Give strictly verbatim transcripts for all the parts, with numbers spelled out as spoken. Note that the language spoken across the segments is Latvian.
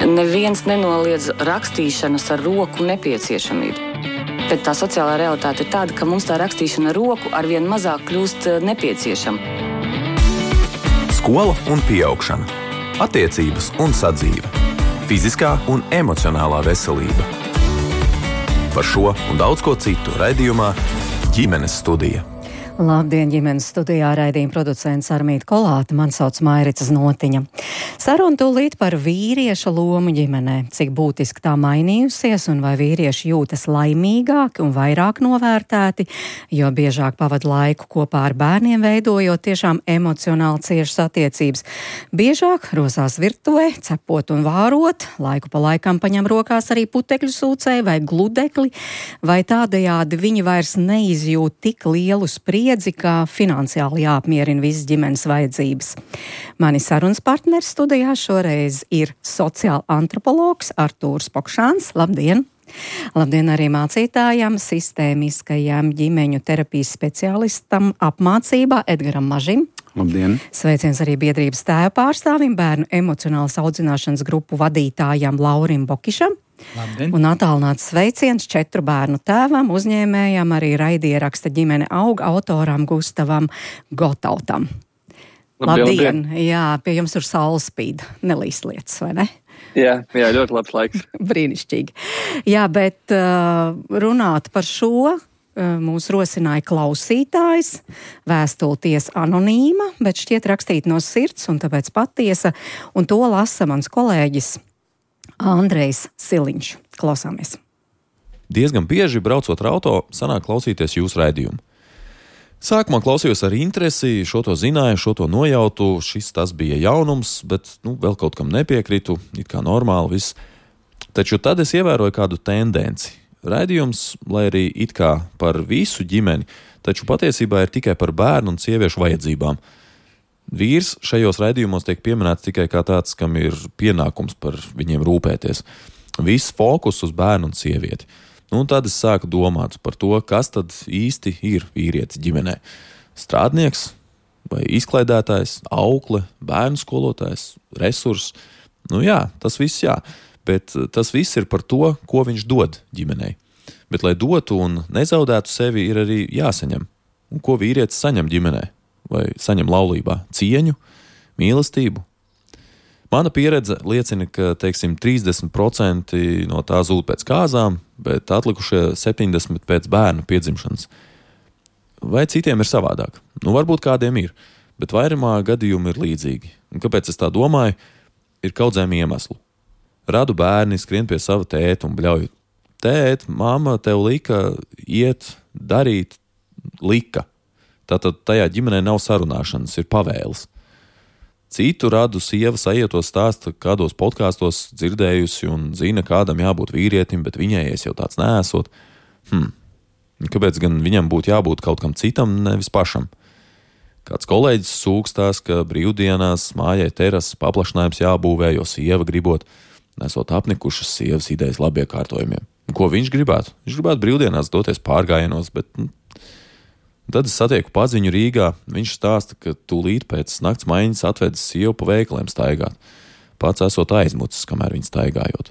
Neviens nenoliedz rakstīšanas ar roku nepieciešamību. Bet tā sociālā realitāte ir tāda, ka mums tā rakstīšana ar roku arvien mazāk kļūst nepieciešama. Skola un pieaugšana. Attiecības un sadzīve. Fiziskā un emocionālā veselība. Par šo un daudz ko citu raidījumā Ģimenes studija. Labdien, ģimenes studijā raidījuma producents Armīta Kolāte, man sauc Mairica Znotiņa. Saruna tūlīt par vīrieša lomu ģimenē, cik būtiski tā mainījusies un vai vīrieši jūtas laimīgāki un vairāk novērtēti, jo biežāk pavada laiku kopā ar bērniem, veidojot tiešām emocionāli ciešas attiecības. Biežāk rosās virtuvē, cepot un vārot, laiku pa laikam paņem rokās arī putekļu sūcēju vai gludekli, vai tādējādi viņi vairs neizjūt tik lielu spriedzi, kā finansiāli jāapmierina visas ģimenes vajadzības. Mani sarunas partneris studijā šoreiz ir sociāla antropologs Artūrs Pokšāns. Labdien! Labdien arī mācītājam, sistēmiskajam ģimeņu terapijas speciālistam apmācībā Edgaram Mažim. Labdien! Sveiciens arī biedrības tēva pārstāvim, bērnu emocionālas audzināšanas grupu vadītājam Laurim Bokišam. Labdien. Un attālināts sveiciens četru bērnu tēvam, uzņēmējam, arī raidieraksta Ģimene aug autoram Gustavam Gotautam. Labdien! Labdien. Jā, pie jums tur saule spīd, nelīst lietas, vai ne? Jā, jā, ļoti labs laiks. Brīnišķīgi. Jā, bet uh, runāt par šo uh, mūs rosināja klausītājs, vēstulties anonīma, bet šķiet rakstīt no sirds un tāpēc patiesa, un to lasa mans kolēģis Andrejs Siliņš. Klausāmies. Diezgan bieži braucot ar auto, sanāk klausīties jūsu raidījumu. Sākumā klausījos ar interesi, šo to zināju, šo to nojautu, šis tas bija jaunums, bet nu, vēl kaut kam nepiekritu, it kā normāli viss. Taču tad es ievēroju kādu tendenci. Raidījums, lai arī it kā par visu ģimeni, taču patiesībā ir tikai par bērnu un sieviešu vajadzībām. Vīrs šajos raidījumos tiek pieminēts tikai kā tāds, kam ir pienākums par viņiem rūpēties. Viss fokus uz bērnu un sievieti. Nu, un tad es sāku domāt par to, kas tad īsti ir vīrietis ģimenē. Strādnieks vai izklaidētājs, aukle, bērnu skolotājs, resurss. Nu jā, tas viss jā, bet tas viss ir par to, ko viņš dod ģimenei. Bet, lai dotu un nezaudētu sevi, ir arī jāsaņem. Un ko vīrietis saņem ģimenē? Vai saņem laulībā? Cieņu, mīlestību. Mana pieredze liecina, ka, teiksim, trīsdesmit procenti no tā zūd pēc kāzām, bet atlikušie septiņdesmit procenti pēc bērnu piedzimšanas. Vai citiem ir savādāk? Nu, varbūt kādiem ir, bet vairumā gadījumi ir līdzīgi. Un kāpēc es tā domāju? Ir kaudzēm iemeslu. Radu bērni skrien pie sava tēta un bļauj. Tēt, mamma tev lika iet, darīt, lika. Tātad tajā ģimenē nav sarunāšanas, ir pavēles. Citu radu sieva sajietos stāsta, kādos podkāstos dzirdējusi un zina, kādam jābūt vīrietim, bet viņai es jau tāds neesot. Hm. Kāpēc gan viņam būtu jābūt kaut kam citam, nevis pašam? Kāds kolēģis sūkstās, ka brīvdienās mājai terases paplašinājums jābūvē, jo sieva gribot, nesot apnikušas sievas idejas labiekārtojumiem. Ko viņš gribētu? Viņš gribētu brīvdienās doties pārgājienos, bet... Tad es satieku paziņu Rīgā, viņš stāsta, ka tūlīt pēc nakts maiņas atvedis sievu pa veikaliem staigāt. Pats esot aizmucis, kamēr viņa staigājot.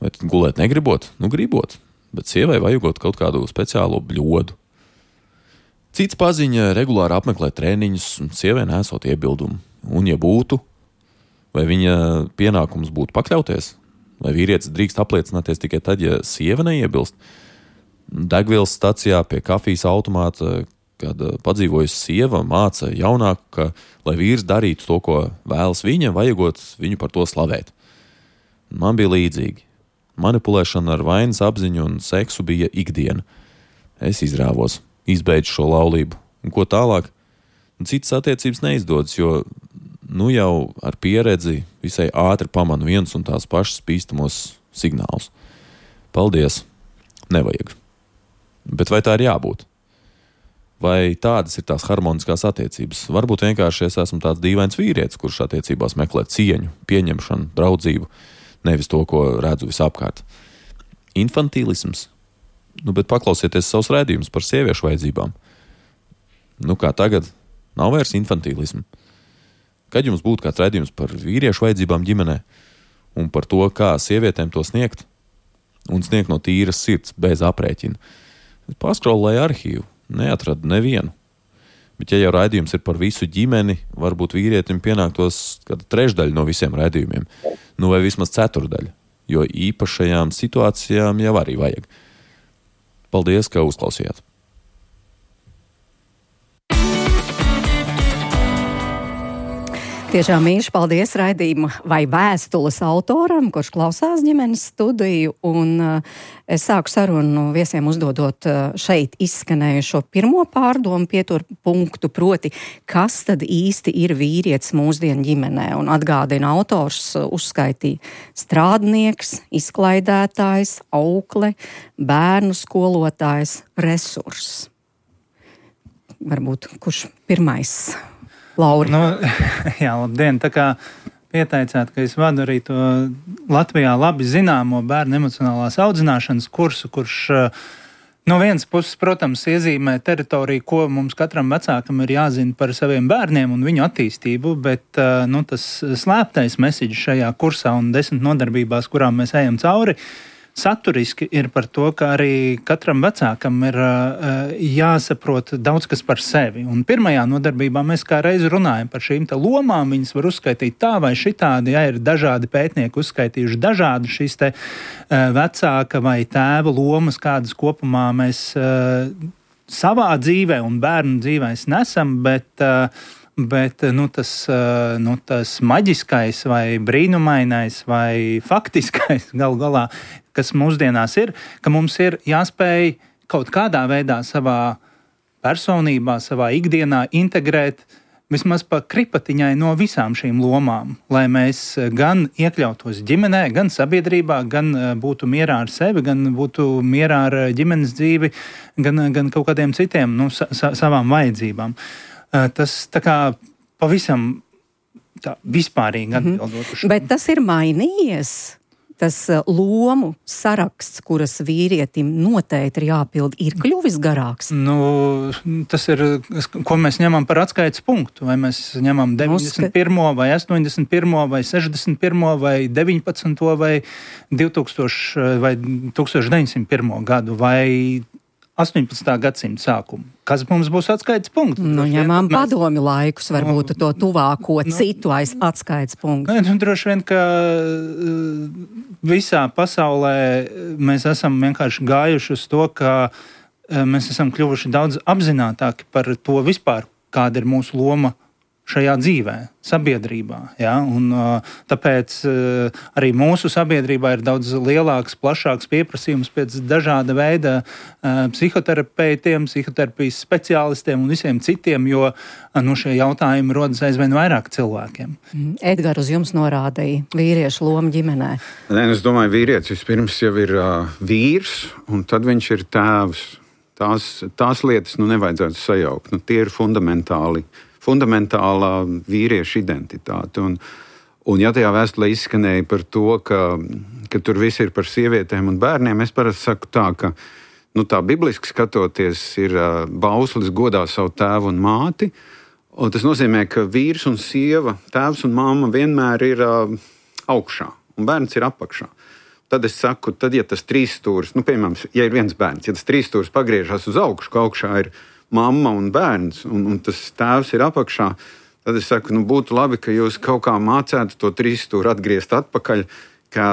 Vai tad gulēt negribot? Nu, gribot, bet sievai vajagot kaut kādu speciālo bļodu. Cits paziņa regulāri apmeklē treniņus, un sievai nesot iebildumu. Un ja būtu, vai viņa pienākums būtu pakļauties? Vai vīrietis drīkst apliecināties tikai tad, ja sieva neiebilst? Degvielas stacijā pie kafijas automāta, kad padzīvojusi sieva māca jaunāku, ka, lai vīrs darītu to, ko vēlas viņa, vajagot viņu par to slavēt. Man bija līdzīgi. Manipulēšana ar vainas apziņu un seksu bija ikdiena. Es izrāvos, izbeidzu šo laulību. Un ko tālāk? Citas attiecības neizdodas, jo nu jau ar pieredzi visai ātri pamanu viens un tās pašas bīstamos signālus. Paldies! Nevajag. Bet vai tā ir jābūt? Vai tādas ir tās harmoniskās attiecības? Varbūt vienkārši es esmu tāds dīvains vīrietis, kurš attiecībās meklē cieņu, pieņemšanu, draudzību, nevis to, ko redzu visapkārt. Infantīlisms? Nu, bet paklausieties savus raidījumus par sieviešu vajadzībām. Nu, kā tagad, nav vairs infantīlismu. Kad jums būtu kāds raidījums par vīriešu vajadzībām ģimenē? un par to, kā sievietēm to sniegt, un sniegt no tīras sirds, bez aprēķina. Paskrolēju arhīvu, neatradu nevienu. Bet ja jau raidījums ir par visu ģimeni, varbūt vīrietim pienāktos kāda trešdaļa no visiem raidījumiem, nu vai vismaz ceturdaļa, jo īpašajām situācijām jau arī vajag. Paldies, ka uzklausījāt! Tiešām mīļš paldies raidījuma vai vēstules autoram, kurš klausās ģimenes studiju, un uh, es sāku sarunu viesiem uzdodot uh, šeit izskanējušo pirmo pārdomu pietur punktu, proti, kas tad īsti ir vīrietis mūsdienu ģimenē, un atgādina autors uh, uzskaitīja strādnieks, izklaidētājs, aukle, bērnu skolotājs, resurss. Varbūt kurš pirmais? Lauri. Nu, jā, labdien. Tā kā pieteicāt, ka es vadu arī to Latvijā labi zināmo bērnu emocionālās audzināšanas kursu, kurš no vienas puses, protams, iezīmē teritoriju, ko mums katram vecākam ir jāzina par saviem bērniem un viņu attīstību, bet nu, tas slēptais mesiģis šajā kursā un desmit nodarbībās, kurām mēs ejam cauri, saturiski ir par to, ka arī katram vecākam ir uh, jāsaprot daudz kas par sevi. Un pirmajā nodarbībā mēs kā reizi runājam par šīm te lomām, viņas var uzskaitīt tā vai šitādi, ja ir dažādi pētnieki uzskaitījuši dažādi šīs te uh, vecāka vai tēva lomas, kādas kopumā mēs uh, savā dzīvē un bērnu dzīvēs nesam, bet uh, Bet nu, tas, nu, tas maģiskais vai brīnumainais vai faktiskais gal galā, kas mūsdienās ir, ka mums ir jāspēj kaut kādā veidā savā personībā, savā ikdienā integrēt vismaz pa kripatiņai no visām šīm lomām, lai mēs gan iekļautos ģimenē, gan sabiedrībā, gan būtu mierā ar sevi, gan būtu mierā ar ģimenes dzīvi, gan, gan kaut kādiem citiem nu, sa- savām vajadzībām. Tas tā kā pavisam tā vispārīgi atbildot uz šo. Bet tas ir mainījies, tas lomu saraksts, kuras vīrietim noteikti ir jāpild, ir kļuvis garāks? Nu, tas ir, ko mēs ņemam par atskaites punktu. Vai mēs ņemam deviņdesmit pirmo vai astoņdesmit pirmo vai sešdesmit pirmo vai deviņpadsmito vai divtūkstoši vai tūkstoš deviņsimt pirmo gadu vai astoņpadsmitā gadsimta sākumu. Kas mums būs atskaites punkts? Nu, ņemām mēs... padomi laikus, varbūt to tuvāko nu, citu aiz atskaites punktu. Nu, droši vien, ka visā pasaulē mēs esam vienkārši gājuši uz to, ka mēs esam kļuvuši daudz apzinātāki par to vispār, kāda ir mūsu loma šajā dzīvē, sabiedrībā. Ja? Un, uh, tāpēc uh, arī mūsu sabiedrībā ir daudz lielāks, plašāks pieprasījums pēc dažāda veida uh, psihoterapeitiem, psihoterapijas speciālistiem un visiem citiem, jo uh, nu, šie jautājumi rodas aizvien vairāk cilvēkiem. Edgar, uz jums norādīja vīriešu lomu ģimenē. Nē, es domāju, vīrietis vispirms jau ir uh, vīrs, un tad viņš ir tēvs. Tās, tās lietas nu, nevajadzētu sajaukt. Nu, tie ir fundamentāli. fundamentālā vīrieša identitāte. Un, un ja tajā vēstulē izskanēja par to, ka, ka tur viss ir par sievietēm un bērniem, es parasti saku tā, ka nu, tā bibliski skatoties ir uh, bauslis godā savu tēvu un māti, un tas nozīmē, ka vīrs un sieva, tēvs un mamma vienmēr ir uh, augšā, un bērns ir apakšā. Tad es saku, tad ja tas trīs stūris, nu, piemēram, ja ir viens bērns, ja tas trīs stūris pagriežas uz augšu, ka augšā ir mamma un bērns, un, un tas tēvs ir apakšā, tad es saku, nu, būtu labi, ka jūs kaut kā mācētu to trīs stūri atgriezt atpakaļ, ka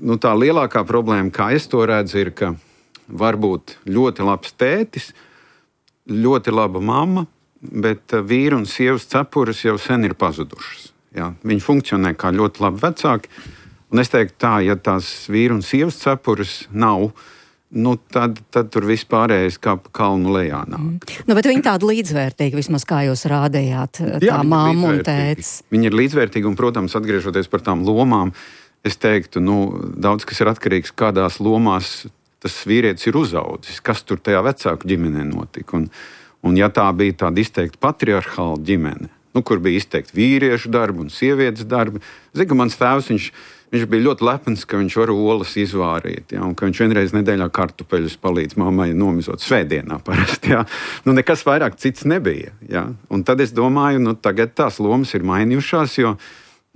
nu, tā lielākā problēma, kā es to redzu, ir, ka var būt ļoti labs tētis, ļoti laba mamma, bet vīru un sievas cepures jau sen ir pazudušas. Jā, viņi funkcionē kā ļoti labi vecāki, un es teiktu tā, ja tās vīru un sievas cepures nav, nu, tad, tad tur viss pārējais kā pa kalnu lejā nāk. Mm. Nu, bet viņi tādi līdzvērtīgi, vismaz kā jūs rādījāt, tā Jā, mamma un tēts. Viņi ir līdzvērtīgi, un, protams, atgriežoties par tām lomām, es teiktu, nu, daudz kas ir atkarīgs, kādās lomās tas vīrietis ir uzaudzis, kas tur tajā vecāku ģimenē notika. Un, un ja tā bija tāda izteikti patriarchāla ģimene, nu, kur bija izteikti vīriešu darbi un sievietes darbi, zinu, ka mans tēvs, viņš Viņš bija ļoti lepns, ka viņš var olas izvārīt, ja, un ka viņš vienreiz nedēļā kartupeļus palīdz mammai nomizot svētdienā parasti. Ja. Nu, nekas vairāk cits nebija. Ja. Un tad es domāju, nu, tagad tās lomas ir mainījušās, jo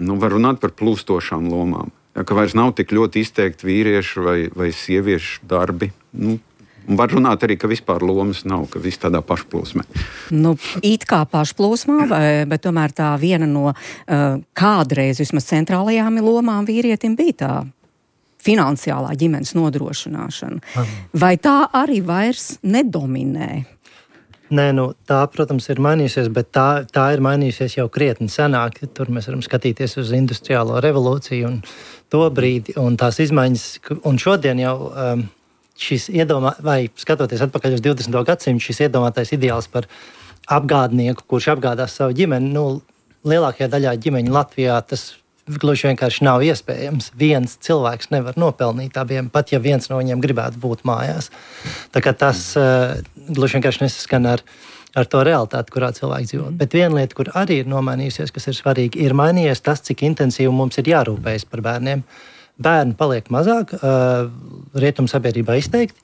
nu, var runāt par plūstošām lomām. Jā, ka vairs nav tik ļoti izteikti vīriešu vai, vai sieviešu darbi. Nu, un var runāt arī, ka vispār lomas nav, ka viss tādā pašplūsmē. Nu, it kā pašplūsmā, vai, bet tomēr tā viena no uh, kādreiz vismaz centrālajām lomām vīrietim bija tā finansiālā ģimenes nodrošināšana. Vai tā arī vairs nedominē? Nē, nu, tā, protams, ir mainījusies, bet tā, tā ir mainījusies jau krietni senāk. Tur mēs varam skatīties uz industriālo revolūciju un to brīdi un tās izmaiņas. Un šodien jau um, šis iedomā, vai skatoties atpakaļ uz divdesmito gadsimtu, šis iedomātais ideāls par apgādnieku, kurš apgādās savu ģimeni, nu, lielākajā daļā ģimeņu Latvijā tas gluži vienkārši nav iespējams. Viens cilvēks nevar nopelnīt abiem, pat ja viens no viņiem gribētu būt mājās. Tā kā tas uh, gluži vienkārši nesaskan ar, ar to realitāti, kurā cilvēks dzīvo. Bet viena lieta, kur arī ir nomainījusies, kas ir svarīgi, ir mainījies tas, cik intensīvi mums ir jārūpējas par bērniem. Bērni paliek mazāk, uh, rietumu sabiedrībā izteikti,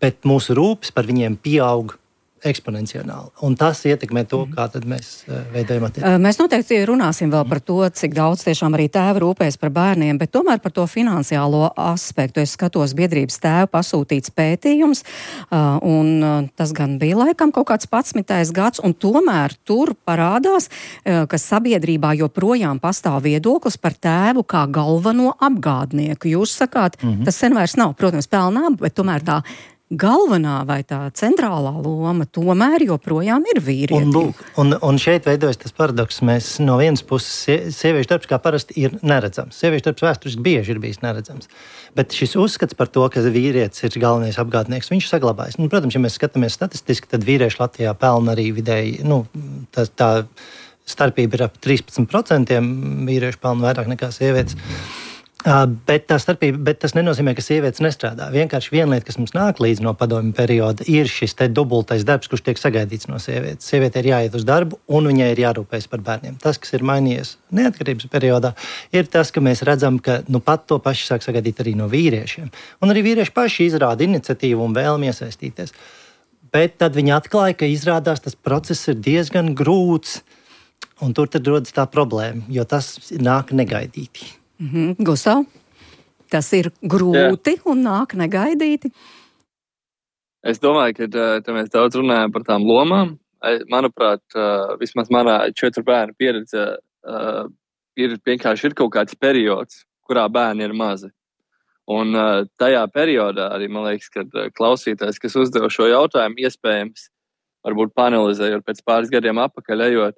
bet mūsu rūpes par viņiem pieaug eksponenciāli. Un tas ietekmē to, kā tad mēs veidojam attiecības. Mēs noteikti runāsim vēl par to, cik daudz tiešām arī tēvi rūpēs par bērniem, bet tomēr par to finansiālo aspektu. Es skatos biedrības tēvu pasūtīts pētījums, un tas gan bija laikam kaut kāds padsmitais gads, un tomēr tur parādās, ka sabiedrībā joprojām pastāv viedoklis par tēvu kā galveno apgādnieku. Jūs sakāt, mm-hmm. tas sen vairs nav, protams, pelnā, bet tomēr tā galvenā vai tā centrālā loma tomēr joprojām ir vīrietim. Un, lūk, un, un šeit veidojas tas paradoks. Mēs no vienas puses sieviešu darbs kā parasti ir neredzams. Sieviešu darbs vēsturiski bieži ir bijis neredzams. Bet šis uzskats par to, ka vīrietis ir galvenais apgādnieks, viņš saglabājas. Nu, protams, ja mēs skatāmies statistiski, tad vīrieši Latvijā pelna arī vidēji, nu, tā, tā starpība ir ap trīspadsmit procentiem, vīrieši pelna vairāk nekā sievietes. Uh, bet, tā starpība, bet tas nenozīmē, ka sievietes nestrādā. Vienkārši viena lieta, kas mums nāk līdz no padomju perioda, ir šis te dubultais darbs, kurš tiek sagaidīts no sievietes. Sieviete ir jāiet uz darbu, un viņai ir jārūpējas par bērniem. Tas, kas ir mainījies neatkarības periodā, ir tas, ka mēs redzam, ka nu, pat to paši sāk sagaidīt arī no vīriešiem. Un arī vīrieši paši izrāda iniciatīvu un vēlmi iesaistīties. Bet tad viņi atklāja, ka izrādās tas process ir diezgan grūts, un tur tad rodas tā problēma, jo tas nāk negaidīti. Mm-hmm. Gustav, tas ir grūti Jā. Un nāk negaidīti? Es domāju, ka tā mēs daudz runājam par tām lomām. Manuprāt, vismaz manā četru bērnu pieredze ir vienkārši ir kaut kāds periods, kurā bērni ir mazi. Un tajā periodā arī, man liekas, kad klausītājs, kas uzdeva šo jautājumu, iespējams, varbūt panelizējot pēc pāris gadiem apakaļ ejot,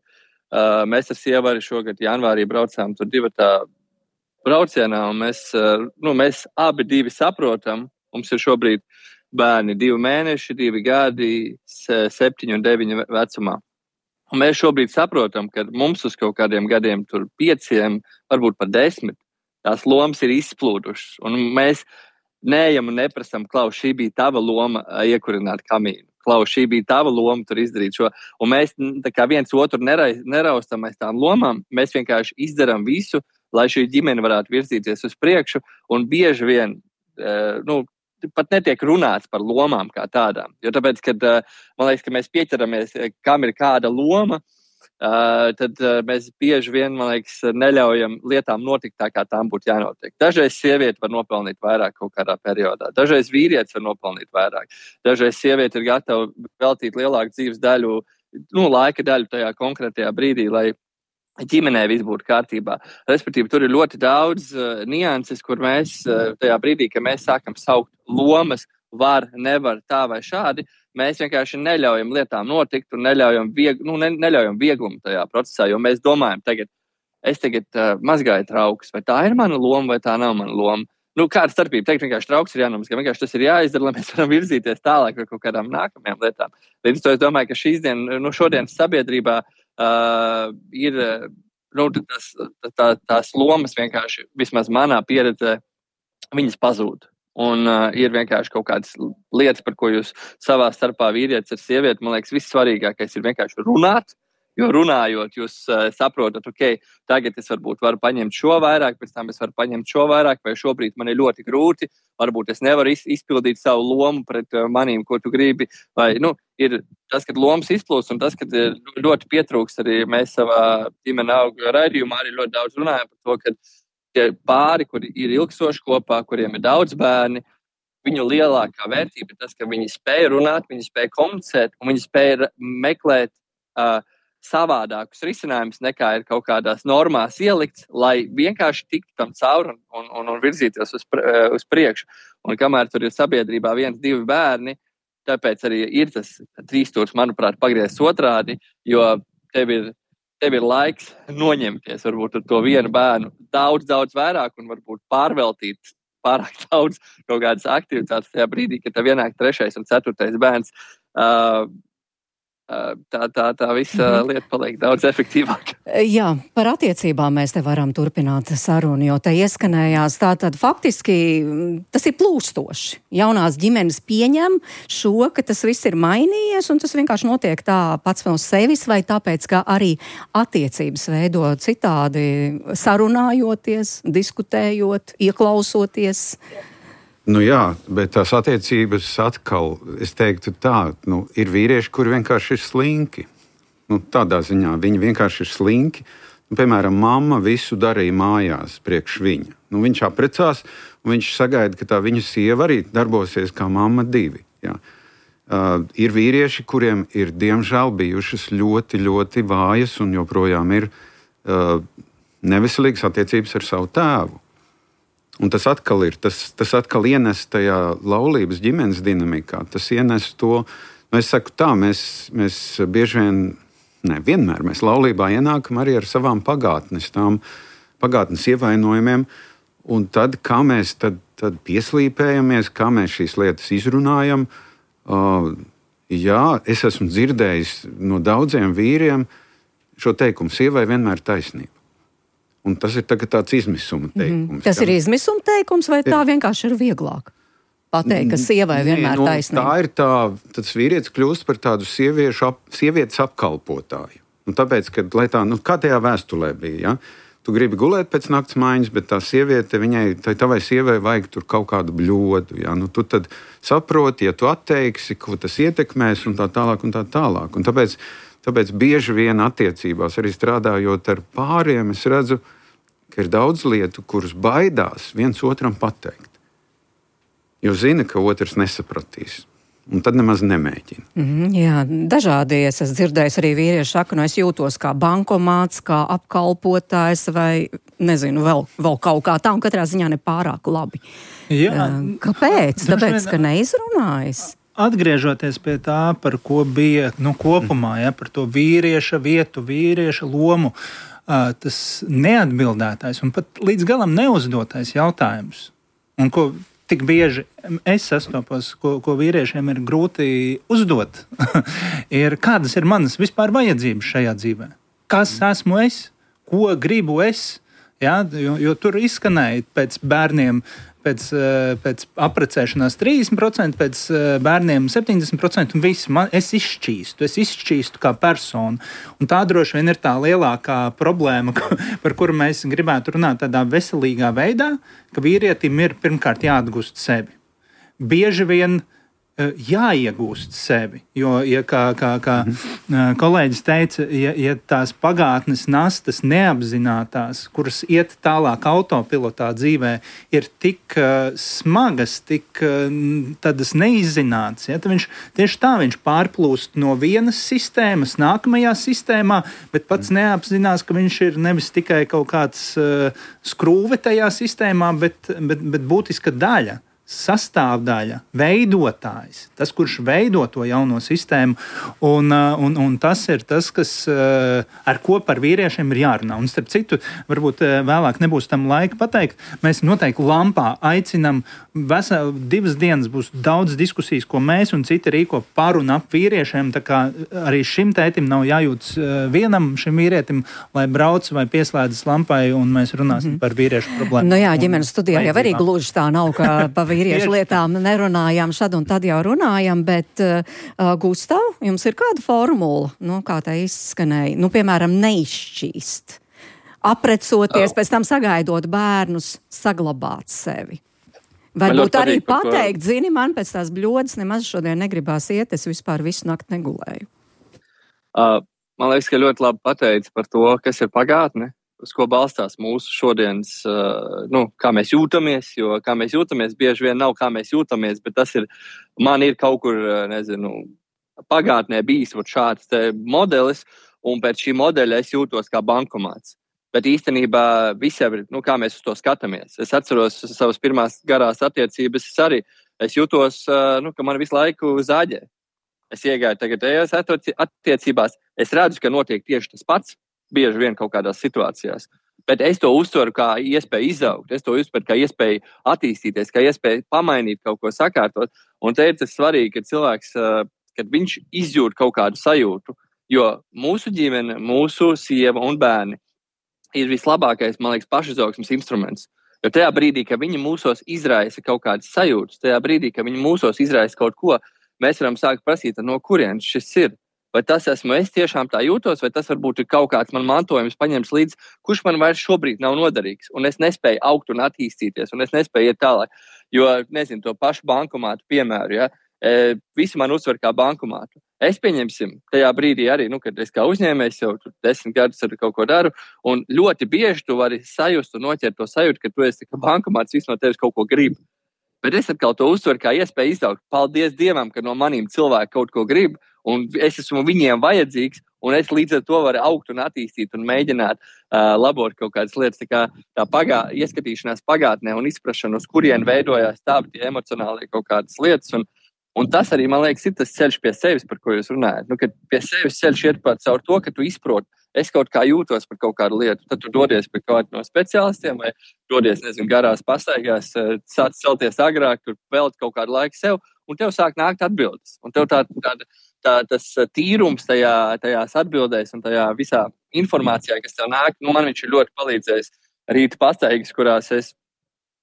mēs ar sievu arī šogad janvārī braucām tur divatā braucienā, un mēs, nu, mēs abi divi saprotam, mums ir šobrīd bērni divi mēneši, divi gadi, septiņi un deviņi vecumā. Un mēs šobrīd saprotam, ka mums uz kaut kādiem gadiem tur pieciem, varbūt pat desmit, tās lomas ir izplūdušas. Un mēs neejam un neprasam, Klaus, šī bija tava loma iekurināt kamīnu. Klaus, šī bija tava loma tur izdarīt šo. Un mēs tā kā viens otru neraustam aiz tām lomām, mēs vienkārši izdaram visu, lai šī ģimene varētu virzīties uz priekšu, un bieži vien, nu, pat netiek runāts par lomām kā tādām. Jo tāpēc, kad, man liekas, ka mēs pieķeramies, kam ir kāda loma, tad mēs bieži vien, man liekas, neļaujam lietām notikt tā, kā tām būtu jānotiek. Dažreiz sieviete var nopelnīt vairāk kaut kādā periodā, dažreiz vīrietis var nopelnīt vairāk, dažreiz sieviete ir gatava veltīt lielāku dzīves daļu, nu, laika daļu tajā konkrētajā brīdī, lai ģimenē viss būtu kārtībā. Respektīvi, tur ir ļoti daudz uh, nianses, kur mēs uh, tajā brīdī, kad mēs sākam saukt lomas, var, nevar, tā vai šādi, mēs vienkārši neļaujam lietām notikt un neļaujam, vieg, nu, ne, neļaujam vieglumu tajā procesā, jo mēs domājam, tagad, es tagad uh, mazgāju traukus, vai tā ir mana loma, vai tā nav mana loma. Nu, kāda starpība? Teikt, vienkārši trauks ir jānomazgā, vienkārši tas ir jāizdara, lai mēs varam virzīties tālāk par kaut kādām nākamajām lietām. Līdz to es domāju, ka šīs dien, nu, šodienas sabiedrībā Uh, ir nu, tas, tā, tās lomas vienkārši, vismaz manā pieredzē, viņas pazūd. Un uh, ir vienkārši kaut kādas lietas, par ko jūs savā starpā vīrietis ar sievieti, man liekas, vissvarīgākais ir vienkārši runāt, jo runājot, jūs uh, saprotat, ok, tagad es varbūt varu paņemt šo vairāk, pēc tam es varu paņemt šo vairāk, vai šobrīd man ir ļoti grūti, varbūt es nevaru izpildīt savu lomu pret uh, manīm, ko tu gribi, vai, nu, ir tas, kad lomas izplūst, un tas, kad ļoti pietrūks arī mēs savā ģimene auga raidījumā arī ļoti daudz runājam par to, ka tie pāri, kuri ir ilgstoši kopā, kuriem ir daudz bērni, viņu lielākā vērtība ir tas, ka viņi spēja runāt, viņi spēja komunicēt un viņi spēja meklēt uh, savādākus risinājumus nekā ir kaut kādās normās ielikts, lai vienkārši tiktu tam cauri un, un, un, un virzīties uz, uz priekšu. Un kamēr tur ir sabiedrībā viens, divi bērni, tāpēc arī ir tas trīsstūrs, manuprāt, pagriezts otrādi, jo tev ir, tev ir laiks noņemties varbūt ar to vienu bērnu daudz, daudz vairāk un varbūt pārveltīt pārāk daudz kaut kādas aktivitātes tajā brīdī, kad tev ienāk trešais un ceturtais bērns. Uh, Tā, tā, tā visa mm-hmm. lieta paliek daudz efektīvāka. Jā, par attiecībām mēs te varam turpināt sarunu, jo te ieskanējās tā tad faktiski tas ir plūstoši. Jaunās ģimenes pieņem šo, ka tas viss ir mainījies un tas vienkārši notiek tā pats no sevis vai tāpēc, ka arī attiecības veido citādi sarunājoties, diskutējot, ieklausoties. Nu jā, bet tās attiecības atkal, es teiktu tā, nu, ir vīrieši, kuri vienkārši ir slinki. Nu, tādā ziņā viņi vienkārši ir slinki. Nu, piemēram, mamma visu darīja mājās priekš viņa. Nu, viņš apprecās, un viņš sagaida, ka tā viņa sieva arī darbosies kā mamma divi. Jā. Uh, ir vīrieši, kuriem ir diemžēl bijušas ļoti, ļoti vājas un joprojām ir uh, neveselīgas attiecības ar savu tēvu. Un tas atkal ir, tas, tas atkal ienes tajā laulības ģimenes dinamikā. Tas ienes to, nu es saku tā, mēs, mēs bieži vien, ne, vienmēr mēs laulībā ienākam arī ar savām pagātnes, tām pagātnes ievainojumiem, un tad, kā mēs tad, tad pieslīpējamies, kā mēs šīs lietas izrunājam. Uh, jā, es esmu dzirdējis no daudziem vīriem šo teikumu, sievai vienmēr taisnība. Un tas ir tāds izmisuma teikums. Mm-hmm. Tas ir izmisuma teikums, vai tā vienkārši ir vieglāk pateikt, ka sievai vienmēr Nē, nu, taisnība? Tā ir tā, tas vīrietis kļūst par tādu sieviešu ap, sievietes apkalpotāju. Un tāpēc, ka, lai tā, nu, kā tajā vēstulē bija, ja? Tu gribi gulēt pēc nakts maiņas, bet tā sieviete, viņai, tai tavai sievai vajag tur kaut kādu bļodu, ja? Nu, tu tad saproti, ja tu atteiksi, ko tas ietekmēs un tā tālāk un tā tālāk. Un tāpēc, tāpēc bieži vien attiecībās, arī strādājot ar pāriem, es redzu, ka ir daudz lietu, kuras baidās viens otram pateikt. Jo zina, ka otrs nesapratīs. Un tad nemaz nemēģina. Mm, jā, dažādi es esmu dzirdējis arī vīrieši saka, nu es jūtos kā bankomāts, kā apkalpotājs vai, nezinu, vēl, vēl kaut kā tā, un katrā ziņā ne pārāk labi. Jā. Kāpēc? Tāpēc, ka neizrunājas. Atgriežoties pie tā, par ko bija nu, kopumā, ja, par to vīrieša vietu, vīrieša lomu, tas neatbildētais un pat līdz galam neuzdotais jautājums, un ko tik bieži es sastopos, ko, ko vīriešiem ir grūti uzdot, ir kādas ir manas vispār vajadzības šajā dzīvē. Kas esmu es? Ko gribu es? Ja, jo, jo tur izskanēja pēc bērniem, pēc, pēc apprecēšanās trīsdesmit procenti, pēc bērniem septiņdesmit procenti un viss. Man, es izšķīstu, es izšķīstu kā persona. Un tā droši vien ir tā lielākā problēma, par kuru mēs gribētu runāt tādā veselīgā veidā, ka vīrietim ir pirmkārt jāatgūst sevi. Bieži vien jāiegūst sevi, jo, ja kā, kā, kā mm-hmm. kolēģis teica, ja, ja tās pagātnes nastas neapzinātās, kuras iet tālāk autopilotā dzīvē, ir tik uh, smagas, tik uh, tādas neizzinātas, ja, tad viņš tieši tā viņš pārplūst no vienas sistēmas nākamajā sistēmā, bet pats mm. neapzinās, ka viņš ir nevis tikai kaut kāds uh, skrūve tajā sistēmā, bet, bet, bet būtiska daļa. Sastāvdaļa, veidotājs, tas, kurš veido to jauno sistēmu, un, un, un tas ir tas, kas, ar ko par vīriešiem ir jārunā. Un starp citu, varbūt vēlāk nebūs tam laika pateikt, mēs noteikti lampā aicinam, vesel, divas dienas būs daudz diskusijas, ko mēs un citi rīko par un ap vīriešiem, tā kā arī šim tētim nav jājūtas vienam šim vīrietim, lai brauc vai pieslēdzas lampai, un mēs runāsim mm-hmm. par vīriešu problēmu. Nu jā, ģimenes studijā jau arī gluži tā nav, ka pa vīriešu lietām nerunājām, šad un tad jau runājam, bet uh, Gustav, jums ir kāda formula, nu, kā tā izskanēja, nu, piemēram, neizšķīst, aprecoties, oh. pēc tam sagaidot bērnus, saglabāt sevi. Varbūt arī pateikt, ko... zini, man pēc tās bļodas nemaz šodien negribās iet, es vispār visu nakti negulēju. Uh, man liekas, ka ļoti labi pateici par to, kas ir pagātne, uz ko balstās mūsu šodienas, uh, nu, kā mēs jūtamies, jo kā mēs jūtamies bieži vien nav kā mēs jūtamies, bet tas ir, man ir kaut kur, nezinu, pagātnē bijis šāds te modelis, un pēc šī modeļa es jūtos kā bankomāts. Bet īstenībā visiem ir, nu, kā mēs uz to skatāmies. Es atceros savas pirmās garās attiecības, es arī, es jūtos, uh, nu, ka man visu laiku zāģē. Es iegāju tagad ejos attiecībās, es redzu, ka notiek tieši tas pats, bieži vien kaut kādās situācijās. Bet es to uztveru kā iespēju izaugt, es to uztveru kā iespēju attīstīties, kā iespēju pamainīt kaut ko sakārtot. Un te ir tas svarīgi, ka cilvēks, uh, kad viņš izjūt kaut kādu sajūtu, jo mūsu ģimene, mūsu sieva un bērni ir vislabākais, man liekas, pašizaugsmes instruments. Jo tajā brīdī, ka viņi mūsos izraisa kaut kādas sajūtas, tajā brīdī, ka viņi mūsos izraisa kaut ko, mēs varam sākt prasīt, no kurienes šis ir. Vai tas esmu es tiešām tā jūtos, vai tas varbūt ir kaut kāds man mantojums paņems līdz, kurš man vairs šobrīd nav noderīgs. Un es nespēju augt un attīstīties, un es nespēju iet tālāk. Jo, nezinu, to pašu bankomātu piemēru, ja, e, visi man uztver kā bankomātu. Es pieņemsim, tajā brīdī arī, nu, kad es kā uzņēmējs jau desmit gadus ar kaut ko daru, un ļoti bieži tu vari sajust un noķert to sajūtu, ka tu esi kā bankomāts, viss no tevis kaut ko grib. Bet es atkal to uztveru kā iespēju izaugt. Paldies Dievam, ka no manīm cilvēki kaut ko grib, un es esmu viņiem vajadzīgs, un es līdz ar to varu augt un attīstīt un mēģināt uh, labot kaut kādas lietas. Tā kā tā pagā, ieskatīšanās pagātnē un izprašana, uz kurien veidojās tā tie emocionālie kaut kādas lietas. Un, un tas arī, man liekas, ir tas ceļš pie sevis, par ko jūs runājat. Nu, kad pie sevis ceļš iet pat caur to, ka tu izproti, es kaut kā jūtos par kaut kādu lietu, tad tu dodies pie kaut no speciālistiem vai dodies, nezinu, garās pastaigās, sāc celties agrāk, tur velt kaut kādu laiku sev, un tev sāk nākt atbildes. Un tev tā, tā, tā, tas tīrums tajā, tajās atbildēs un tajā visā informācijā, kas tev nāk, nu, man viņš ir ļoti palīdzējis rīta pastaigas, kurās es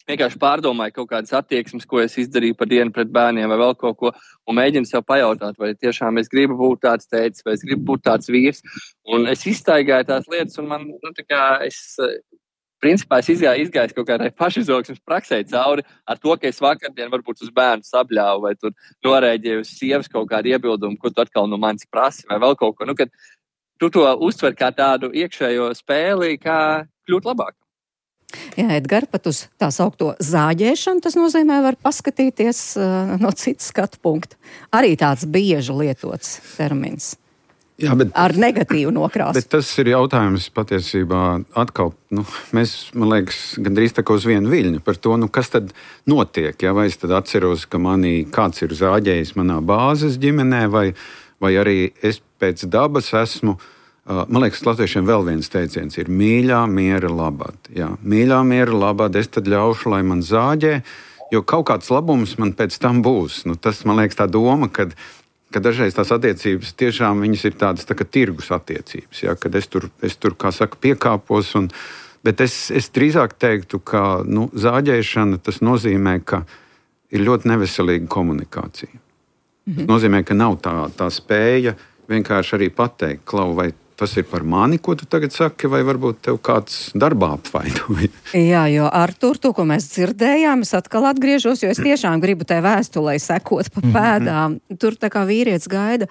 vienkārši pārdomāju kaut kādas attieksmes, ko es izdarīju par dienu pret bērniem vai vēl kaut ko, un mēģinu sev pajautāt, vai tiešām es gribu būt tāds tētis, vai es gribu būt tāds vīrs. Un es izstaigāju tās lietas, un man, nu, tā kā es, principā, es izgāju, izgāju kaut kādai pašizaugsmes praksē cauri ar to, ka es vakardien varbūt uz bērnu sabļāvu, vai tur norēģēju uz sievas kaut kādu iebildumu, ko tu atkal no manis prasi, vai vēl kaut ko. Nu, kad tu to uztver kā tādu iekšējo spēli, kā kļūt labāk. Jā, Edgar, pat uz tā saukto zāģēšanu, tas nozīmē, var paskatīties uh, no citas skatu punkta. Arī tāds bieži lietots termins. Jā, bet, ar negatīvu nokrāsu. Bet tas ir jautājums patiesībā atkal, nu, mēs, man liekas, gandrīz tā kā uz vienu viļņu par to, nu, kas tad notiek, ja? Vai es tad atceros, ka manī kāds ir zāģējis manā bāzes ģimenē, vai, vai arī es pēc dabas esmu. Man liekas, latviešiem vēl viens teiciens ir mīļā miera labad. Jā, mīļā miera labad, es tad ļaušu, lai man zāģē, jo kaut kāds labums man pēc tam būs. Nu, tas, man liekas, tā doma, kad, kad dažreiz tās attiecības tiešām viņas ir tādas tā kā tirgus attiecības, jā, kad es tur, es tur, kā saka, piekāpos. Un, bet es, es drīzāk teiktu, ka nu, zāģēšana tas nozīmē, ka ir ļoti neveselīga komunikācija. Mhm. Tas nozīmē, ka nav tā, tā spēja vienkārši arī pateikt, Klau, vai tas ir par mani, ko tu tagad saki, vai varbūt tev kāds darbā apvainoja? Jā, jo Artur, to, ko mēs dzirdējām, es atkal atgriežos, jo es tiešām gribu tai vēstulē sekot pa pēdām. Tur tā kā vīrietis gaida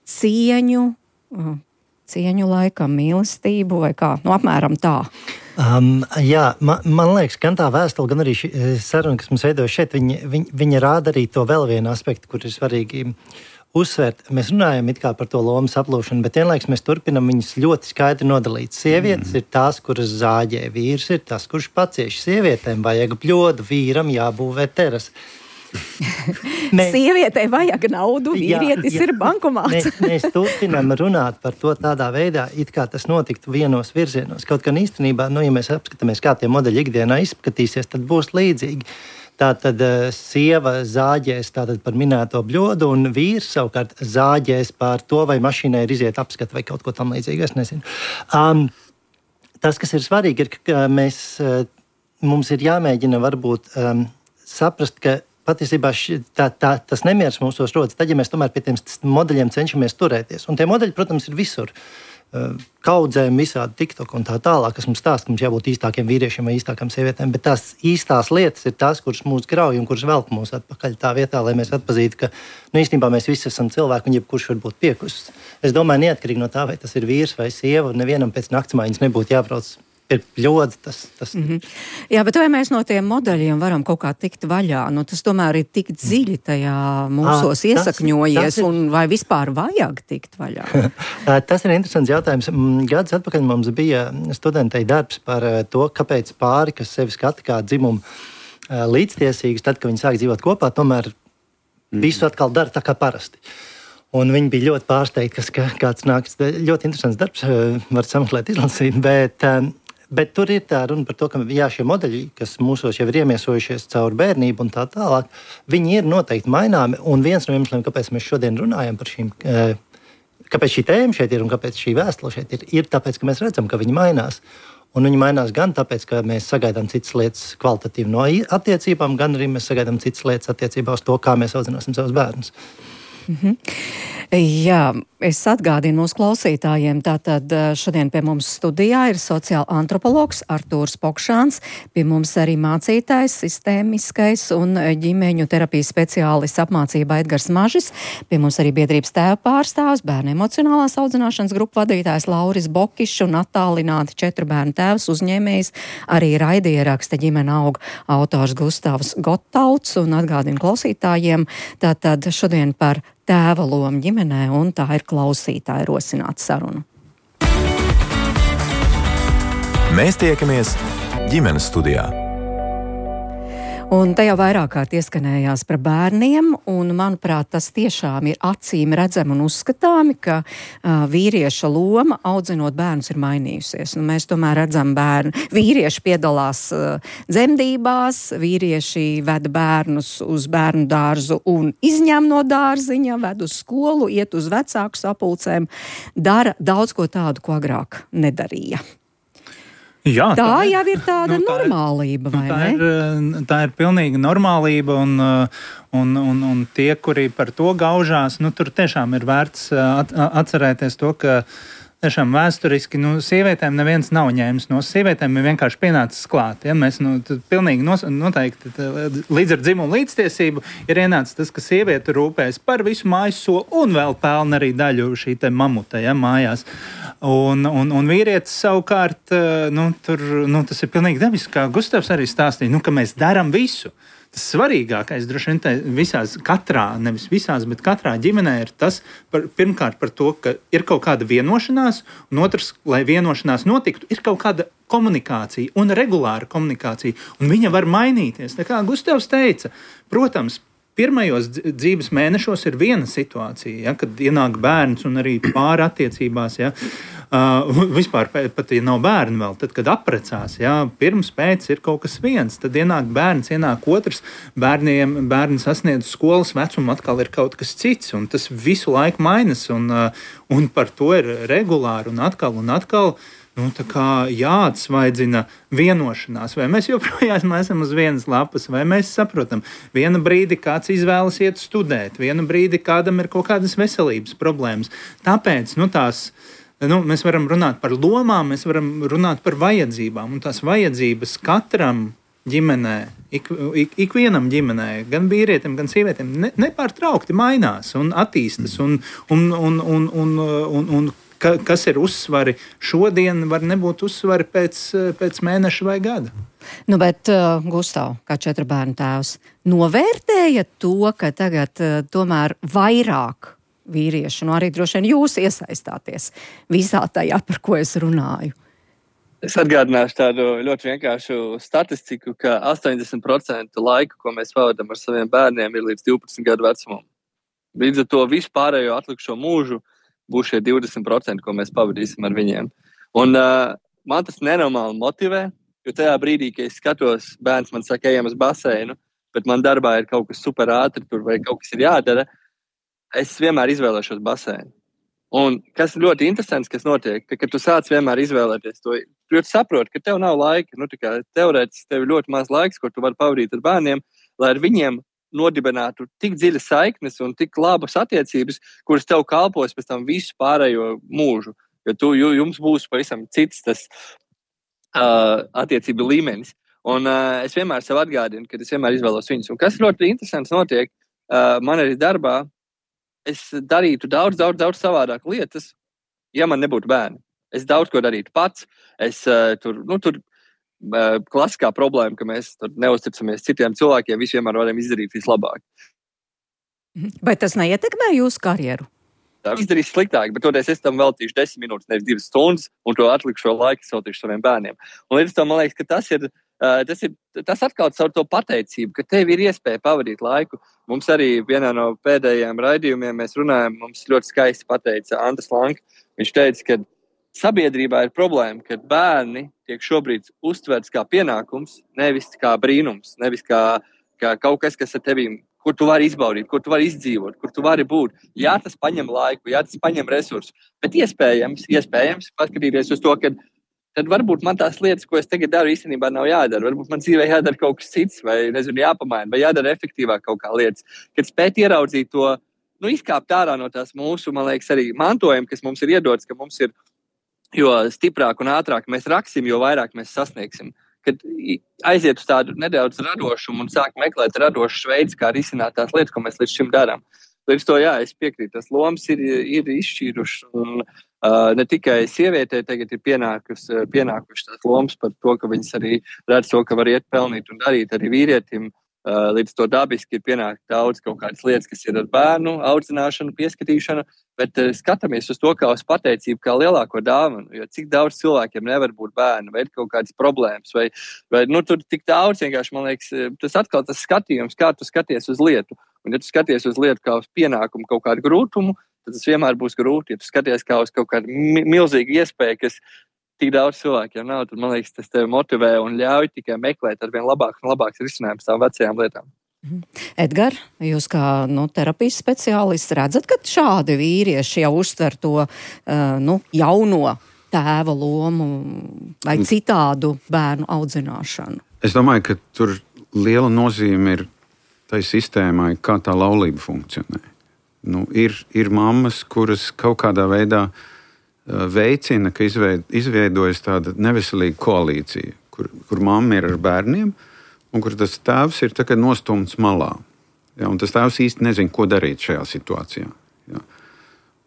cieņu, cieņu laikam, mīlestību vai kā, nu apmēram tā. Um, jā, man, man liekas, gan tā vēstule, gan arī šī saruna, kas mums veidojas šeit, viņa, viņa, viņa rāda arī to vēl vienu aspektu, kur ir svarīgi uzsvērt. Mēs runājam it kā par to lomas aplūšanu, bet vienlaikus mēs turpinam viņus ļoti skaidri nodalīt. Sievietes mm. ir tās, kuras zāģē, vīrs ir tas, kurš pacieš. Sievietēm vajag bļodu, vīram jābūvē teras. Mēs, Sievietei vajag naudu, vīrietis jā, jā, ir bankomāts. Mēs, mēs turpinam runāt par to tādā veidā, it kā tas notiktu vienos virzienos. Kaut gan īstenībā, nu, ja mēs apskatāmies, kā tie modeļi ikdienā izskatīsies, tad būs līdzīgi. Tātad uh, sieva zāģēs tātad par minēto bļodu, un vīrs savukārt zāģēs par to, vai mašīnai ir iziet apskata vai kaut ko tam līdzīgu, es nezinu. Um, tas, kas ir svarīgi, ir, ka mēs, uh, mums ir jāmēģina varbūt um, saprast, ka patiesībā ši, tā, tā, tas nemieris mūsos rodas, tad, ja mēs tomēr pie tiem modeļiem cenšamies turēties. Un tie modeļi, protams, ir visur. Kaudzēm, visādi TikTok un tā tālāk, kas mums stāsta, ka mums jābūt īstākiem vīriešiem vai īstākām sievietēm, bet tās īstās lietas ir tās, kuras mūs grauj un kuras velk mūs atpakaļ tā vietā, lai mēs atpazītu, ka, nu, īstenībā mēs visi esam cilvēki un jebkurš var būt piekusts. Es domāju, neatkarīgi no tā, vai tas ir vīrs vai sieva, nevienam pēc naktsmaiņas nebūtu jābrauc pirkt ļodzi. Tas, tas... Mm-hmm. Jā, bet vai mēs no tiem modeļiem varam kaut kā tikt vaļā? Nu, tas tomēr ir tik dziļi tajā mūsos à, iesakņojies, tas, tas ir... un vai vispār vajag tikt vaļā? Tas ir interesants jautājums. Gadus atpakaļ mums bija studentei darbs par to, kāpēc pāri, kas sevi skata kā dzimumu līdztiesīgus, tad, kad viņi sāk dzīvot kopā, tomēr mm. visu atkal dara tā kā parasti. Un viņi bija ļoti pārsteigti, ka kāds nāks. Ļoti interesants darbs, var sameklēt, izlasīt, bet, bet tur ir tā runa par to, ka jā, šie modeļi, kas mūsos jau ir iemiesojušies caur bērnību un tā tālāk, viņi ir noteikti maināmi. Un viens no iemesliem, kāpēc mēs šodien runājam par šīm, kāpēc šī tēma šeit ir un kāpēc šī vēstule šeit ir, ir tāpēc, ka mēs redzam, ka viņi mainās. Un viņi mainās gan tāpēc, ka mēs sagaidām citas lietas kvalitatīvi no attiecībām, gan arī mēs sagaidām citas lietas attiecībā uz to, kā mēs audzināsim savus bērnus. Mm-hmm. Jā, es atgādinu mūsu klausītājiem, tātad šodien pie mums studijā ir sociāla antropologs Artūrs Pokšāns, pie mums arī mācītājs, sistēmiskais un ģimeņu terapijas speciālists apmācība Edgars Mažis, pie mums arī biedrības tēva pārstāvs, bērnu emocionālās audzināšanas grupu vadītājs Lauris Bokišs un attālināti četru bērnu tēvs uzņēmējs, arī raidieraksta ģimene aug autors Gustavs Gotauts, un atgādinu klausītājiem, tātad šodien par tēva lomu ģimenē, un tā ir klausītāja rosināta saruna. Mēs tiekamies ģimenes studijā. Un te jau vairāk kārt ieskanējās par bērniem, un, manuprāt, tas tiešām ir acīm redzami un uzskatāmi, ka uh, vīrieša loma audzinot bērnus ir mainījusies. Un mēs tomēr redzam bērnu, vīrieši piedalās uh, dzemdībās, vīrieši ved bērnus uz bērnu dārzu un izņem no dārziņa, ved uz skolu, iet uz vecāku sapulcēm, dara daudz ko tādu, ko agrāk nedarīja. Jā, tā, tā jau ir tāda nu, tā normālība, vai tā ne? Ir, tā ir pilnīga normālība, un, un, un, un tie, kuri par to gaužās, nu, tur tiešām ir vērts at, atcerēties to, ka tiešām vēsturiski, nu, sievietēm neviens nav ņēmis no sievietēm, ir vienkārši pienācis klāt. Ja? Mēs, nu, pilnīgi nos, noteikti līdz ar dzimumu līdztiesību ir ienācis tas, ka sieviete rūpēs par visu mājas soli un vēl pelna arī daļu šī te mamuta, ja, mājās. Un, un, un vīrietis savukārt, nu, tur, nu, tas ir pilnīgi dabiski, kā Gustavs arī stāstīja, nu, ka mēs daram visu. Tas svarīgākais, droši vien, tā visās, katrā, nevis visās, bet katrā ģimenē ir tas, par, pirmkārt par to, ka ir kaut kāda vienošanās, un otrs, lai vienošanās notiktu, ir kaut kāda komunikācija un regulāra komunikācija, un viņa var mainīties. Tā kā Gustavs teica, protams, pirmajos dzīves mēnešos ir viena situācija, ja, kad ienāk bērns un arī pāri attiecībās, ja, uh, vispār pat, ja nav bērni vēl, tad, kad aprecās, ja, pirms pēc ir kaut kas viens, tad ienāk bērns, ienāk otrs, bērniem, bērni sasniedz skolas vecumu, atkal ir kaut kas cits, un tas visu laiku mainas, un, uh, un par to ir regulāri, un atkal, un atkal, nu, tā kā jāatsvaidzina vienošanās, vai mēs joprojām esam uz vienas lapas, vai mēs saprotam, vienu brīdi kāds izvēlas iet studēt, vienu brīdi kādam ir kaut kādas veselības problēmas. Tāpēc, nu, tās, nu, mēs varam runāt par lomām, mēs varam runāt par vajadzībām, un tās vajadzības katram ģimenē, ik, ik, ikvienam ģimenē, gan vīrietim, gan sievietēm, ne, nepārtraukti mainās un attīstas, un, un, un, un, un, un, un Ka, kas ir uzsvari šodien, var nebūt uzsvari pēc, pēc mēneša vai gada. Nu, bet, uh, Gustav, kā četru bērnu tēvs, novērtēja to, ka tagad uh, tomēr vairāk vīrieši, nu arī droši vien jūs iesaistāties visā tajā, par ko es runāju? Es atgādināšu tādu ļoti vienkāršu statistiku, ka astoņdesmit procenti laika, ko mēs pavadām ar saviem bērniem, ir līdz divpadsmit gadu vecumam. Līdz ar to vispārējo atlikušo mūžu būs šie divdesmit procenti, ko mēs pavadīsim ar viņiem. Un uh, man tas nenormāli motivē, jo tajā brīdī, kad es skatos, bērns man saka, ejam uz baseinu, bet man darbā ir kaut kas super ātri tur vai kaut kas ir jādara, es vienmēr izvēlēšos baseinu. Un kas ļoti interesants, kas notiek, ka, kad tu sāc vienmēr izvēlēties to, tu saproti, ka tev nav laika, nu tā kā teorētiski tev ir ļoti maz laiks, ko tu vari pavadīt ar bērniem, lai ar viņiem nodibinātu tik dziļas saiknes un tik labas attiecības, kuras tev kalpos pēc tam visu pārējo mūžu. Jo tu, jums būs pavisam cits tas uh, attiecību līmenis. Un uh, es vienmēr sev atgādinu, ka es vienmēr izvēlos viņus. Un kas ļoti interesants notiek, uh, man arī darbā, es darītu daudz, daudz, daudz savādāk lietas, ja man nebūtu bērni. Es daudz ko darītu pats. Es uh, tur, nu, tur uh, klasiskā problēma, ka mēs tur neusticamies citiem cilvēkiem, visi vienmēr varam izdarīt vislabāk. Vai tas neietekmē jūsu karjeru? Tā izdarīs sliktāk, bet toties es tam veltīšu desmit minūtes, nevis divas stundas, un to atlikušo laiku veltīšu saviem bērniem. Un līdz tam man liekas, ka tas ir, uh, tas ir, tas atkal caur to pateicību, ka tev ir iespēja pavadīt laiku. Mums arī vienā no pēdējiem raidījumiem mēs runājam, mums ļoti skaisti pateica Andris Lanka. Viņš teica, ka sabiedrībā ir problēma, ka bērni tiek šobrīd uztverts kā pienākums, nevis kā brīnums, nevis kā, kā kaut kas, kas ar tevīm, kur tu vari izbaudīt, kur tu vari izdzīvot, kur tu vari būt. Jā, tas paņem laiku, jā, tas paņem resursus, bet iespējams, iespējams paskatīties uz to, ka tad varbūt man tās lietas, ko es tagad daru, īstenībā nav jādara. Varbūt man dzīvē jādara kaut kas cits, vai, nezinu, jāpamaina, vai jādara efektīvāk kaut kā lietas. Kad spēt ieraudzīt to, nu, izkāpt ārā no tās mūsu, man liekas, arī mantojumi, kas mums ir iedots, ka mums ir, jo stiprāk un ātrāk mēs raksim, jo vairāk mēs sasniegsim. Kad aiziet uz tādu nedaudz radošumu un sāk meklēt radošus veidus, kā risināt tās lietas, ko mēs līdz šim darām. Līdz to, jā, es piekrītu, tas lomas ir, ir izšķīrušas, un uh, ne tikai sievietē tagad ir pienākus, pienākušas tās lomas par to, ka viņas arī redz to, ka var iet pelnīt un darīt arī vīrietim. Uh, līdz to dabiski ir pienākt daudz kaut kādas lietas, kas ir ar bērnu audzināšanu, pieskatīšanu, bet uh, skatāmies uz to kā uz pateicību, kā lielāko dāvanu, jo cik daudz cilvēkiem nevar būt bērni, vai ir kaut kādas problēmas, vai, vai nu, tur tik daudz vienkārši, man liekas, tas atkal tas skatījums, kā tu skaties uz lietu, un ja tu skaties uz lietu kā uz pienākumu kaut kādu grūtumu, tad tas vienmēr būs grūti, ja tu skaties kā uz kaut kādu mi- milzīgu iespēju, kas tik daudz cilvēkiem nav, tad, man liekas, tas tevi motivē un ļauj tikai meklēt ar vien labāks un labāks risinājums tām vecajām lietām. Edgar, jūs kā nu, terapijas speciālists redzat, ka šādi vīrieši jau uztver to uh, nu, jauno tēva lomu vai citādu bērnu audzināšanu? Es domāju, ka tur liela nozīme ir tai sistēmai, kā tā laulība funkcionē. Nu, ir, ir mammas, kuras kaut kādā veidā veicina, ka izveidojas tāda neveselīga koalīcija, kur, kur mamma ir ar bērniem, un kur tas tēvs ir nostumts malā. Ja, un tas tēvs īsti nezina, ko darīt šajā situācijā. Ja.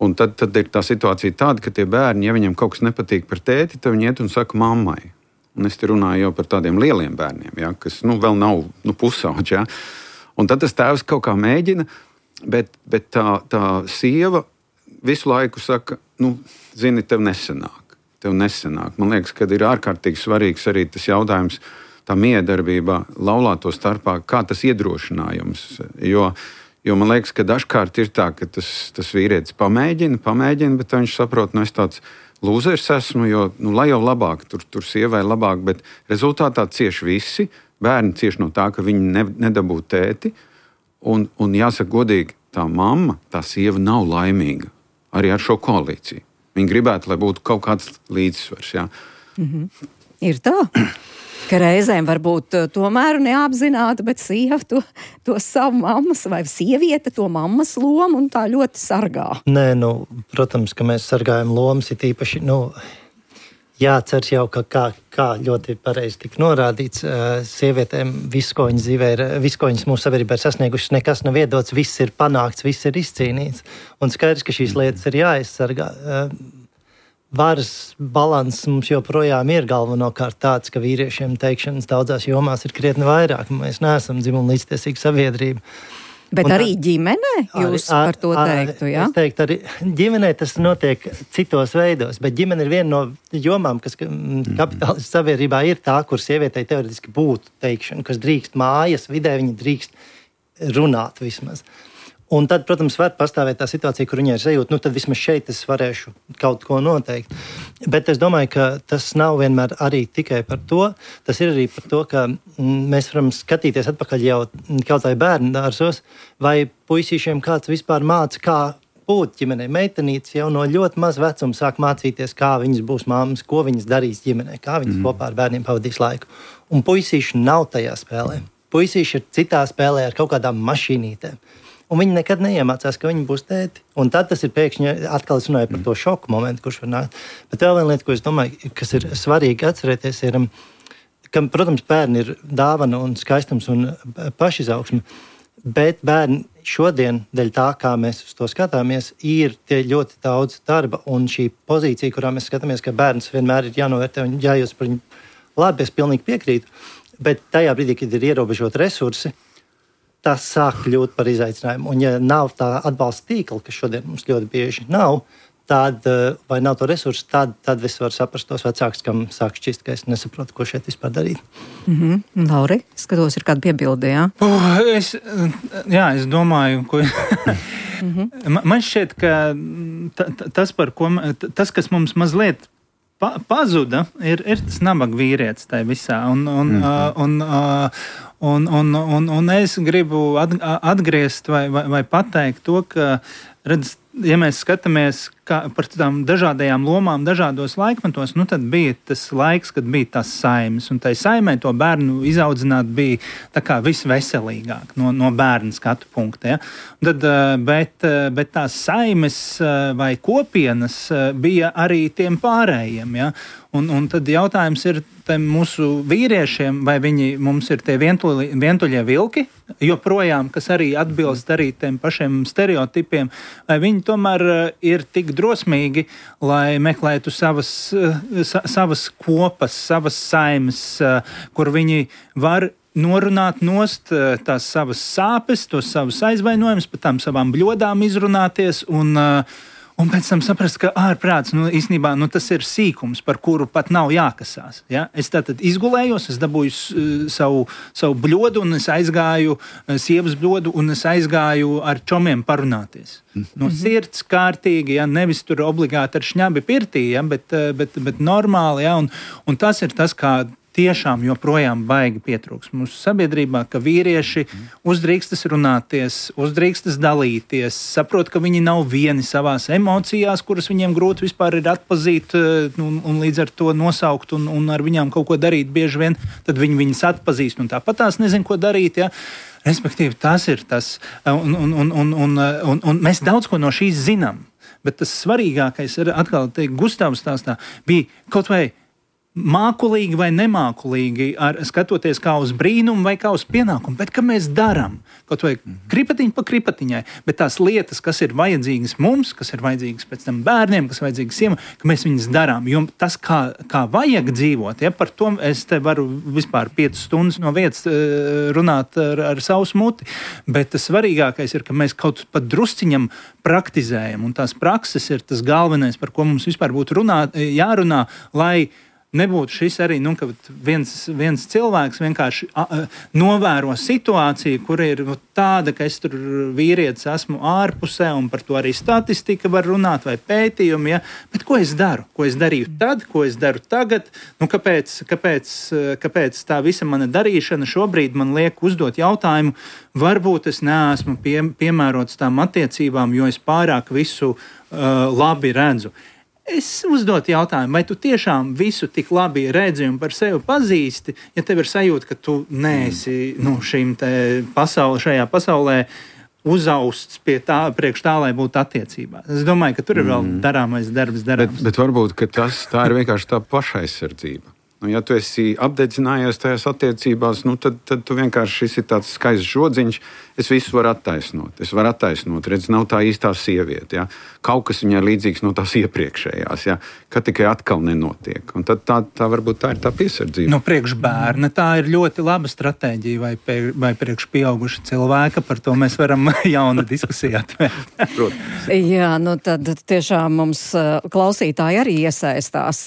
Un tad, tad ir tā situācija tāda, ka tie bērni, ja viņiem kaut kas nepatīk par tēti, tad viņi iet un saka mammai. Un es te runāju jau par tādiem lieliem bērniem, ja, kas nu, vēl nav nu, pusauģi. Ja. Un tad tas tēvs kaut kā mēģina, bet, bet tā, tā sieva visu laiku saka, nu, zini, tev nesanāk, tev nesanāk. Man liekas, ka ir ārkārtīgi svarīgs arī tas jautājums tā miedarbībā laulāto starpā, kā tas iedrošinājums. Jo, jo man liekas, ka dažkārt ir tā, ka tas, tas vīrietis pamēģina, pamēģina, bet viņš saprot, nu es tāds lūzers esmu, jo, nu, lai jau labāk, tur, tur sievai labāk, bet rezultātā cieši visi, bērni cieši no tā, ka viņi ne, nedabū tēti, un, un jāsaka godīgi, tā mamma, tā sieva nav laimīga arī ar šo koalīciju. Viņi gribētu, lai būtu kaut kāds līdzsvars. Jā. Mm-hmm. Ir tā, ka reizēm varbūt tomēr neapzināti, bet sieva to, to savu mammas vai sieviete to mammas lomu un tā ļoti sargā. Nē, nu, protams, ka mēs sargājam lomas, ir īpaši, nu, jāceras jau, ka kā, kā ļoti pareizi tika norādīts, sievietēm viss, ko viņas dzīvē ir, viss, ko viņas mūsu sabiedrībā ir sasniegušas, nekas nav iedots, viss ir panākts, viss ir izcīnīts. Un skaidrs, ka šīs lietas ir jāaizsargā. Varas balanss mums joprojām ir galvenokārt tāds, ka vīriešiem teikšanas daudzās jomās ir krietni vairāk. Mēs neesam dzimumu līdztiesīga sabiedrība. Bet un arī tā, ģimenē jūs ar, par to teiktu, jā? Es teiktu, arī ģimenē tas notiek citos veidos, bet ģimene ir viena no jomām, kas kapitālistu sabiedrībā ir tā, kur sievietei teoretiski būtu teikšana, kas drīkst mājas vidē, viņa drīkst runāt vismaz. Un tad, protams, var pastāvēt tā situācija, kur viņai ir sajūta, nu tad vismaz šeit es varēšu kaut ko noteikt. Bet es domāju, ka tas nav vienmēr arī tikai par to. Tas ir arī par to, ka mēs varam skatīties atpakaļ jau kaut vai bērnu dārzos, vai puisīšiem kāds vispār māca, kā būt ģimenei. Meitenītes jau no ļoti maz vecuma sāk mācīties, kā viņas būs mammas, ko viņas darīs ģimenei, kā viņas mm. kopā ar bērniem pavadīs laiku. Un puisīši nav tajā spēlē. Puisīši ir citā spēlē ar kaut kādām mašīnītēm. Un viņi nekad neiemācās, ka viņi būs tēti. Un tad tas ir pēkšņi, atkal es runāju par to šoku momentu, kurš var nākt. Bet vēl viena lieta, ko es domāju, kas ir svarīgi atcerēties, ir, ka, protams, bērni ir dāvana un skaistums un pašizaugsme, bet bērni šodien, dēļ tā, kā mēs uz to skatāmies, ir tie ļoti daudz darba un šī pozīcija, kurā mēs skatāmies, ka bērns vienmēr ir jānovērtē un jājūtas par viņu labi, es pilnīgi piekrītu, bet tajā brīdī, kad ir ierobežot resursi, tas sāk kļūt par izaicinājumu. Un ja nav tā atbalsta tīkla, kas šodien mums ļoti bieži nav, tad, vai nav to resursu, tad, tad es varu saprast tos vecākus, kam sāk šķist, ka es nesaprotu, ko šeit vispār darīt. Mm-hmm. Lauri, skatos, ir kāda piebilde, jā? Uh, es, jā, es domāju, ko... mm-hmm. Man šķiet, ka t- t- tas, par ko, t- tas, kas mums mazliet pa- pazuda, ir, ir tas nabaga vīrietis tajā visā. Un, un, mm-hmm. uh, un, uh, un, un, un, un es gribu atgriezt vai, vai, vai pateikt to, ka, redz, ja mēs skatāmies kā, par tādām dažādajām lomām, dažādos laikmetos, nu tad bija tas laiks, kad bija tas saimes, un tai saimē to bērnu izaudzināt bija tā kā visveselīgāk no, no bērna skatu punkta. Ja? Tad, bet, bet tās saimes vai kopienas bija arī tiem pārējiem. Ja? Un, un tad jautājums ir mūsu vīriešiem, vai viņi mums ir tie vientuļi, vientuļie vilki, joprojām, kas arī atbilst arī tiem pašiem stereotipiem, vai viņi tomēr ir tik drosmīgi, lai meklētu savas, sa, savas kopas, savas saimes, kur viņi var norunāt nost tās savas sāpes, tos savus aizvainojumus, par tām savām bļodām izrunāties un Un pēc tam saprast, ka ārprāts, nu, īstenībā, nu, tas ir sīkums, par kuru pat nav jākasās. Ja? Es tātad izgulējos, es dabūju uh, savu, savu bļodu, un es aizgāju, uh, sievas bļodu, un es aizgāju ar čomiem parunāties. No sirds kārtīgi, ja? Nevis tur obligāti ar šņabi pirtī, ja? bet, uh, bet, bet normāli. Ja? Un, un tas ir tas, kā tiešām joprojām baigi pietrūks mūsu sabiedrībā, ka vīrieši uzdrīkstas runāties, uzdrīkstas dalīties, saprot, ka viņi nav vieni savās emocijās, kuras viņiem grūti vispār ir atpazīt un, un līdz ar to nosaukt un, un ar viņām kaut ko darīt bieži vien, tad viņi viņas atpazīst un tāpat tās nezin, ko darīt, ja. Respektīvi, tas ir tas, un, un, un, un, un, un, un mēs daudz ko no šīs zinām, bet tas svarīgākais ir atkal teikt, Gustavs stāstā bija kaut vai mākulīgi vai nemākulīgi, ar, skatoties kā uz brīnumu vai kā uz pienākumu, bet ka mēs darām kaut vai kripatiņu pa kripatiņai, bet tās lietas, kas ir vajadzīgas mums, kas ir vajadzīgas pēc tam bērniem, kas ir vajadzīgas siemai, ka mēs viņas darām, jo tas, kā, kā vajag dzīvot, ja, par to es te varu vispār piecas stundas no vietas runāt ar, ar savu smuti, bet tas svarīgākais ir, ka mēs kaut pat drusciņam praktizējam, un tās prakses ir tas galvenais, par ko mums vispār būtu runāt, jārunā, lai nebūtu šis arī, nu, ka viens, viens cilvēks vienkārši a, a, novēro situāciju, kur ir nu, tāda, ka es tur vīrietis esmu ārpusē, un par to arī statistika var runāt, vai pētījumi, ja? Bet ko es daru? Ko es darīju tad, ko es daru tagad? Nu, kāpēc, kāpēc, kāpēc tā visa mana darīšana šobrīd man liek uzdot jautājumu, varbūt es neesmu pie, piemērots tām attiecībām, jo es pārāk visu uh, labi redzu. Es uzdotu jautājumu, vai tu tiešām visu tik labi redzi un par sevi pazīsti, ja tev ir sajūta, ka tu neesi nu, šim te pasauli, šajā pasaulē uzausts pie tā, priekš tā, lai būtu attiecībās. Es domāju, ka tur ir vēl darāmais darbs darāms. Bet, bet varbūt, ka tas, tā ir vienkārši tā pašaizsardzība. Nu, ja tu esi apdedzinājies tajās attiecībās, nu, tad, tad tu vienkārši šis ir tāds skaists žodziņš. Es visu varu attaisnot. Es varu attaisnot. Redz, nav tā īstā sieviete. Ja? Kaut kas viņai līdzīgs no tās iepriekšējās, ja? Ka tikai atkal nenotiek. Un tad tā, tā varbūt tā ir tā piesardzība. Nu, priekš bērna tā ir ļoti laba stratēģija vai, pie, vai priekš pieauguša cilvēka. Par to mēs varam jaunu diskusiju atvērt. Jā, nu tad tiešām mums klausītāji arī iesaistās.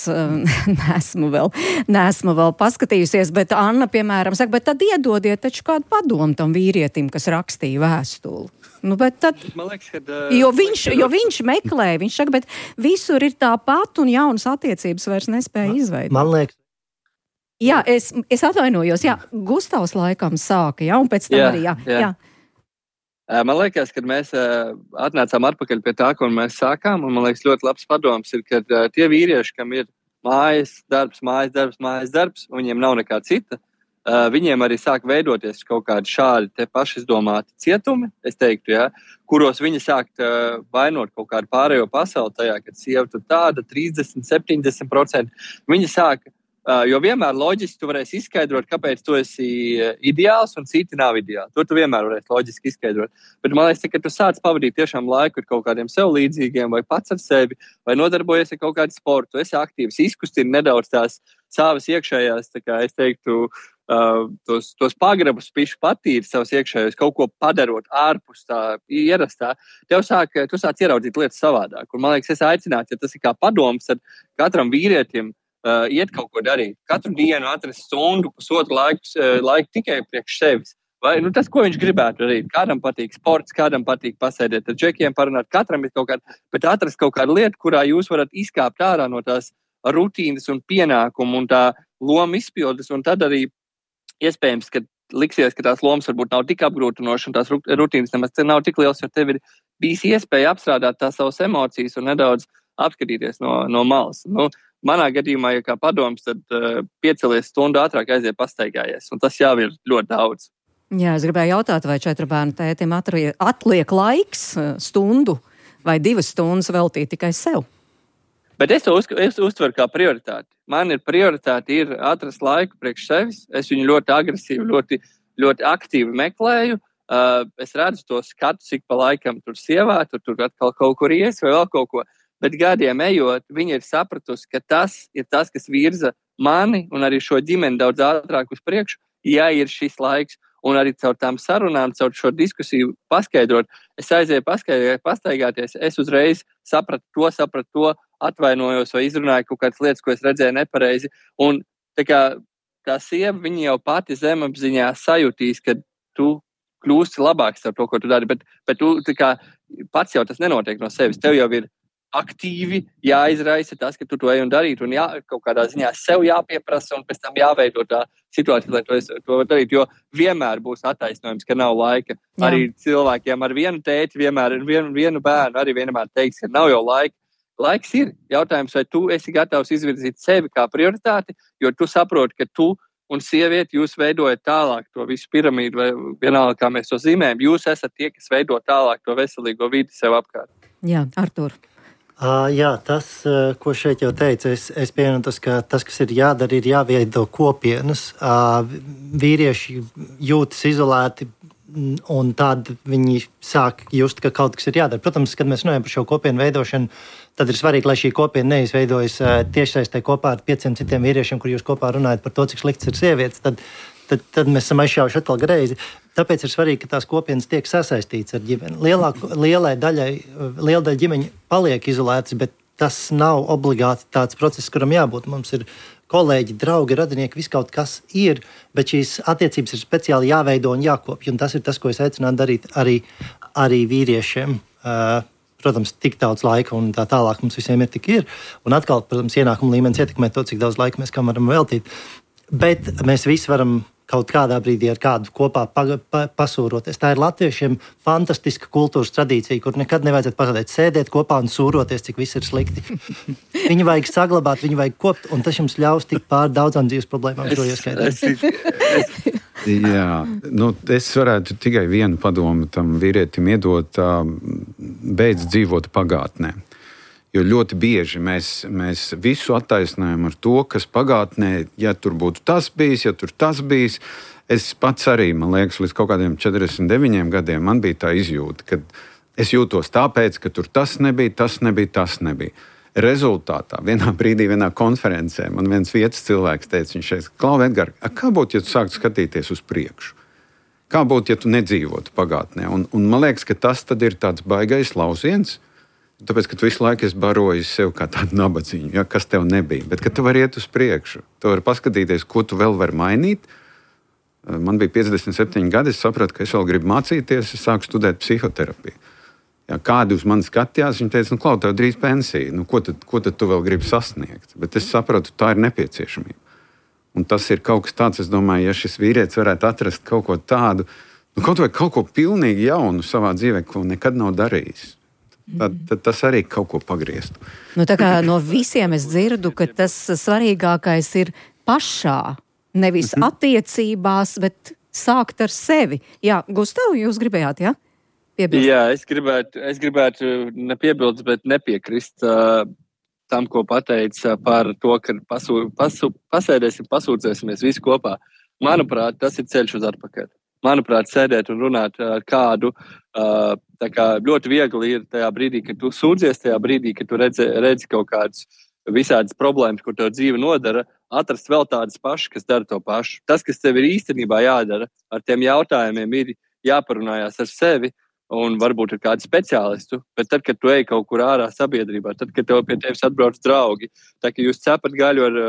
Nesmu vēl, nesmu vēl paskatījusies, bet Anna, piemēram, saka, bet tad iedodiet taču kādu padomu tam vīrietim, kas rakstīja vēstuli. Nu, bet tad, liekas, kad, uh, jo, viņš, jo viņš meklē, viņš saka, bet visur ir tāpat un jaunas attiecības vairs nespēja izveidot. Man liekas. Jā, es, es atvainojos, jā, Gustavs laikam sāka, jā, un pēc tam jā, arī, jā. jā. jā. Man liekas, kad mēs uh, atnācām atpakaļ pie tā, ko mēs sākām, un man liekas ļoti labs padoms ir, ka uh, tie vīrieši, kam ir mājas darbs, mājas darbs, mājas darbs, un viņiem nav nekā cita, Uh, viņiem arī sāk veidoties kaut kādi šādi te pašizdomāti cietumi, es teiktu, ja, kuros viņi sāk uh, vainot kaut kādu pārējo pasauli tajā, kad sieva tur tāda trīsdesmit, septiņdesmit procenti. Viņi sāk Uh, jo vienmēr loģiski tu varēsi izskaidrot, kāpēc tu esi ideāls un citi nav ideāli. To tu vienmēr varēsi loģiski izskaidrot. Bet man liekas, ka tu sāc pavadīt tiešām laiku ar kaut kādiem sev līdzīgiem vai pats ar sevi, vai nodarbojies ar kaut kādu sportu, tu esi aktīvs, izkustina nedaudz tās savas iekšējās, tā kā es teiktu, uh, tos, tos pagrabus pišu patīri savas iekšējos, kaut ko padarot ārpus tā ierastā. Tev sāk, tu sāc ieraudzīt lietas savādāk. Un man liekas, es aicinātu, ja tas ir kā padoms ar katram vīrietim, Uh, iet kaut ko darīt. Katru dienu atrast stundu, pusotru laiku, uh, laiku tikai priekš sevis. Vai, nu, tas, ko viņš gribētu darīt. Kādam patīk sports, kādam patīk pasēdēt ar džekiem, parunāt. Katram ir kaut kāda, bet atrast kaut kādu lietu, kurā jūs varat izkāpt ārā no tās rutīnas un pienākumu un tā loma izpildes. Un tad arī iespējams, ka liksies, ka tās lomas varbūt nav tik apgrūtinošas un tās rutīnas nemaz nav tik liels, jo tev ir bijis iespēja apstrādāt tās savas emocijas un nedaudz apskatīties no, no malas. Nu, manā gadījumā, ja kā padoms, tad uh, piecelies stundu ātrāk aiziet pastaigājies, un tas jau ir ļoti daudz. Jā, es gribēju jautāt, vai četru bērnu tētim atliek laiks stundu vai divas stundas veltīt tikai sev? Bet es to uz, es uztveru kā prioritāti. Man ir prioritāte ir atrast laiku priekš sevis. Es viņu ļoti agresīvi, ļoti, ļoti aktīvi meklēju. Uh, es redzu to skatu, cik pa laikam tur sievā, tur, tur atkal kaut kur ies vai vēl kaut ko. Bet gadiem ejot, viņa ir sapratusi, ka tas ir tas, kas virza mani un arī šo ģimeni daudz ātrāk uz priekšu, ja ir šis laiks. Un arī caur tām sarunām, caur šo diskusiju paskaidrot, es aizēju pastaigāties, es uzreiz sapratu to, sapratu to, atvainojos vai izrunāju kaut kādas lietas, ko es redzēju nepareizi. Un tā kā tā sieva, viņa jau pati zemapziņā sajūtīs, ka tu kļūsti labāks ar to, ko tu dari, bet, bet tu tā kā pats jau tas nenotiek no sevis. Tev jau ir aktīvi jāizraisa tas, ka tu to ej un darīt, un jā, kaut kādā ziņā sev jāpieprasa, un pēc tam jāveido tā situācija, lai to, es, to darīt, jo vienmēr būs attaisnojums, ka nav laika. Jā. Arī cilvēkiem ar vienu tēti, vienmēr ar vienu, vienu bērnu, arī vienmēr teiks, ka nav jau laika. Laiks ir. Jautājums, vai tu esi gatavs izvirzīt sevi kā prioritāti, jo tu saproti, ka tu un sievieti jūs veidojat tālāk to visu piramīdu, vai vienalga, kā mēs to zīmējam, jūs esat tie, kas veido tālāk to veselīgo vidi sev apkārt. Jā, Artur. Uh, jā, tas, uh, ko šeit jau teicu, es, es pieņemu tas, ka tas, kas ir jādara, ir jāveido kopienas. Uh, vīrieši jūtas izolēti, un tad viņi sāk just, ka kaut kas ir jādara. Protams, kad mēs runājam par šo kopienu veidošanu, tad ir svarīgi, lai šī kopiena neizveidojas uh, tiešsaistē kopā ar pieciem citiem vīriešiem, kur jūs kopā runājat par to, cik slikts ir sievietes. Tad, tad, tad mēs esam aizšauši atkal greizi. Tāpēc ir svarīgi, ka tās kopienas tiek sasaistītas ar ģimeni. Lielāku, lielai daļai, liela daļa ģimeņu paliek izolētas, bet tas nav obligāti tāds process, kuram jābūt. Mums ir kolēģi, draugi, radinieki, viss kaut kas ir, bet šīs attiecības ir speciāli jāveido un jākopja. Un tas ir tas, ko es aicinātu darīt arī, arī vīriešiem. Uh, protams, tik daudz laika un tā tālāk mums visiem ir tik ir. Un atkal, protams, ienākuma līmenis ietekmē to, cik daudz laika mēs kam varam veltīt. Bet mēs visi varam kaut kādā brīdī ar kādu kopā pa, pa, pasūroties. Tā ir latviešiem fantastiska kultūras tradīcija, kur nekad nevajadzētu pazaudēt, sēdēt kopā un sūroties, cik viss ir slikti. Viņu vajag saglabāt, viņu vajag kopt, un tas jums ļaus tikt pār daudzām dzīves problēmām šo ieskaitīt. Jā, nu, es varētu tikai vienu padomu tam vīrietim iedot, beidz dzīvot pagātnē. Jo ļoti bieži mēs, mēs visu attaisnojam ar to, kas pagātnē, ja tur būtu tas bijis, ja tur tas bijis. Es pats arī, man liekas, līdz kaut kādiem četrdesmit deviņiem gadiem man bija tā izjūta, ka es jūtos tāpēc, ka tur tas nebija, tas nebija, tas nebija. Rezultātā vienā brīdī, vienā konferencē man viens vietas cilvēks teica, viņš teica, Klau, Edgar, kā būtu, ja tu sāktu skatīties uz priekšu? Kā būtu, ja tu nedzīvotu pagātnē? Un, un man liekas, ka tas tad ir tāds baigais lauciens, tāpēc, ka tu visu laiku esi barojis sev kā tādu nabadziņu, ja, kas tev nebija. Bet, ka tu vari iet uz priekšu, tu vari paskatīties, ko tu vēl vari mainīt. Man bija piecdesmit septiņi gadi, es sapratu, ka es vēl gribu mācīties, es sāku studēt psihoterapiju. Ja, kādi uz mani skatījās, viņi teica, nu, Klau, tev drīz pensija, nu, ko tad, ko tad tu vēl gribi sasniegt? Bet es sapratu, tā ir nepieciešamība. Un tas ir kaut kas tāds, es domāju, ja šis vīrietis varētu atrast kaut ko tādu, nu, kaut vai kaut ko pilnīgi jaunu savā dzīvē, ko nekad nav darījis. Tad, tad tas arī kaut ko pagrieztu. Nu, tā kā no visiem es dzirdu, ka tas svarīgākais ir pašā, nevis mm-hmm. attiecībās, bet sākt ar sevi. Jā, Gustav, jūs gribējāt, jā? Piebilst. Jā, es gribētu, es gribētu nepiebilst, bet nepiekrist. tam, ko pateica par to, ka pasū, pasū, pasēdēsim, pasūdzēsimies visi kopā. Manuprāt, tas ir ceļš uz atpakaļ. Manuprāt, sēdēt un runāt ar kādu, tā kā ļoti viegli ir tajā brīdī, kad tu sūdzies, tajā brīdī, kad tu redzi, redzi kaut kādas visādas problēmas, kur tev dzīve nodara, atrast vēl tādas pašas, kas dara to pašu. Tas, kas tev ir īstenībā jādara, ar tiem jautājumiem ir jāparunājās ar sevi un varbūt ar kādu speciālistu, bet tad, kad tu ej kaut kur ārā sabiedrībā, tad, kad tev pie tevis atbrauc draugi, tā, ka jūs cepat gaļu ar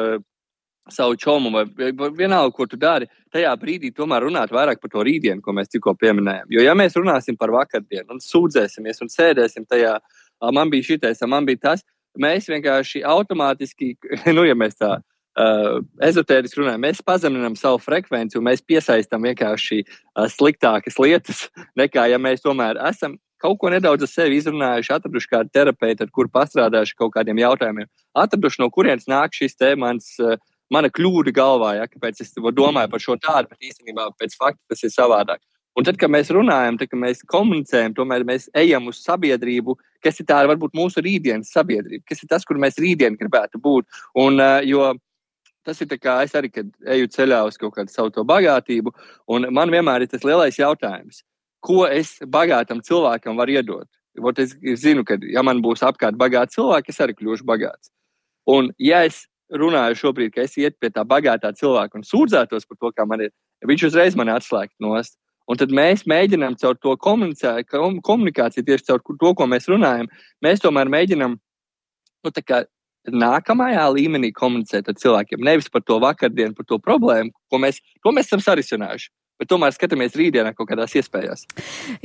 savu čomu vai vienalga, ko tu dari, tajā brīdī tomēr runāt vairāk par to rītdienu, ko mēs tikko pieminējām. Jo ja mēs runāsim par vakardienu un sūdzēsimies un sēdēsim tajā, man bija šitais, man bija tas, mēs vienkārši automātiski, nu ja mēs tā uh, ezotēriski runājam, mēs pazeminam savu frekvenci un mēs piesaistam vienkārši uh, sliktākas lietas, nekā ja mēs tomēr esam kaut ko nedaudz ar sevi izrunājuši, atraduši kādu terapeitu, ar kuru pastrādājuši kaut kādiem jautājumiem, atraduši, no kurienes nāk šis te mans uh, mana kļūda galvā, ja, kāpēc es domāju par šo tādu, bet īstenībā pēc fakta tas ir savādāk. Un tad, kad mēs runājam, tad, kad mēs komunicējam, tomēr mēs ejam uz sabiedrību, kas ir tā varbūt mūsu rītdienas sabiedrība, kas ir tas, kur mēs rītdien gribētu būt. Un, jo tas ir tā kā es arī, kad eju ceļā uz kaut kādu savu to bagātību, un man vienmēr ir tas lielais jautājums, ko es bagātam cilvēkam varu iedot. Vot es zinu, ka ja man būs apkārt bagāti cilvēki, es arī kļūšu bagāts. Un ja es runāju šobrīd, ka es iet pie tā bagātā cilvēka un sūdzētos par to, kā man ir, viņš uzreiz mani atslēgt nost. Un tad mēs mēģinām caur to komunikāciju, tieši caur to, ko mēs runājam, mēs tomēr mēģinām, nu, tā kā nākamajā līmenī komunicēt ar cilvēkiem, nevis par to vakardienu, par to problēmu, ko mēs, to mēs esam sarisinājuši. Bet tomēr skatāmies rītdienā kaut kādās iespējās.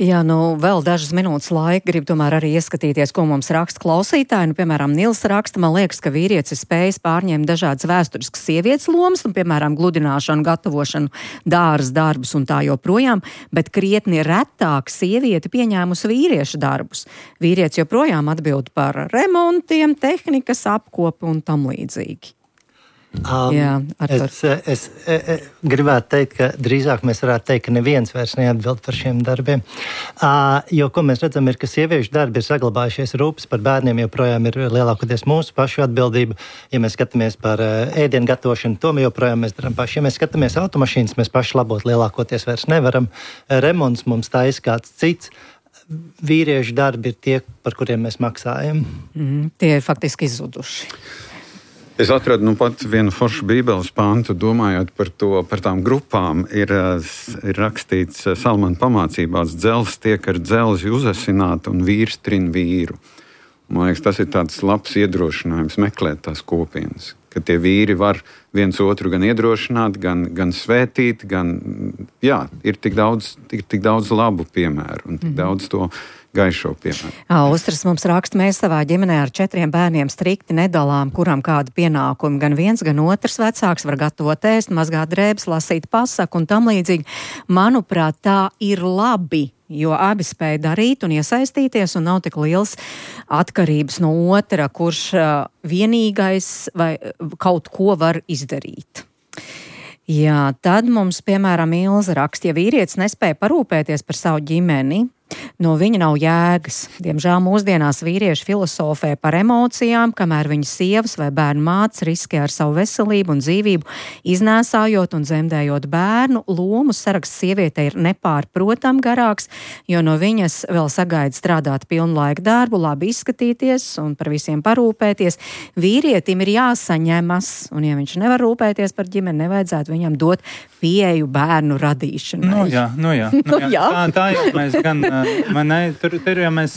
Jā, nu vēl dažas minūtes laika, gribu tomēr arī ieskatīties, ko mums raksta klausītāji. Nu, piemēram, Nils raksta, man liekas, ka vīrietis ir spējis pārņemt dažādas vēsturiskas sievietes lomas, un, piemēram, gludināšanu, gatavošanu, dāras darbus un tā joprojām, bet krietni retāk sieviete pieņēmusi vīriešu darbus. Vīrietis joprojām atbild par remontiem, tehnikas apkopi un tam līdzīgi. Um, Jā, es, es, es gribētu teikt, ka drīzāk mēs varētu teikt, ka neviens vairs neatbild par šiem darbiem. Uh, jo, ko mēs redzam, ir, ka sieviešu darbi ir saglabājušies, rūpes par bērniem joprojām ir lielākoties mūsu pašu atbildība. Ja mēs skatāmies par uh, ēdienu gatavošanu, to mēs joprojām mēs darām paši. Ja mēs skatāmies automašīnas, mēs paši labot lielākoties vairs nevaram. Remonts mums taisa kāds cits. Vīriešu darbi ir tie, par kuriem mēs maksājam. Mm, tie ir faktiski izzuduši. Es atradu nu pat vienu foršu bībeles pantu, domājot par to, par tām grupām, ir, ir rakstīts Salmana pamācībās, dzelzs tiek ar dzelzi uzasināt un vīrs trin vīru. Man liekas, tas ir tāds labs iedrošinājums meklēt tās kopienas, ka tie vīri var viens otru gan iedrošināt, gan, gan svētīt, gan, jā, ir tik daudz, tik, tik daudz labu piemēru un tik mm-hmm. daudz to gaišo piemēru. Austras mums raksta, mēs savā ģimenē ar četriem bērniem strikti nedalām, kuram kādu pienākumu. Gan viens, gan otrs vecāks var gatavot ēst, mazgāt drēbes, lasīt pasaku un tam līdzīgi. Manuprāt, tā ir labi, jo abi spēj darīt un iesaistīties un nav tik liels atkarības no otra, kurš vienīgais vai kaut ko var izdarīt. Jā, tad mums, piemēram, Ilza raksta, ja vīrietis nespēja parūpēties par savu ģimeni, no viņa nav jēgas. Diemžēl mūsdienās vīrieši filosofē par emocijām, kamēr viņa sievas vai bērnu mātes riskē ar savu veselību un dzīvību, iznēsājot un dzemdējot bērnu. Lomu saraksts sievietei ir nepārprotam garāks, jo no viņas vēl sagaida strādāt pilnlaika darbu, labi izskatīties un par visiem parūpēties. Vīrietim ir jāsaņemas, un ja viņš nevar rūpēties par ģimeni, nevajadzētu viņam dot pieeju bērnu radīšanai. Nu jā, nu jā. Nu jā. Tā, tā jau mēs gan, man ne, tur, tur jau mēs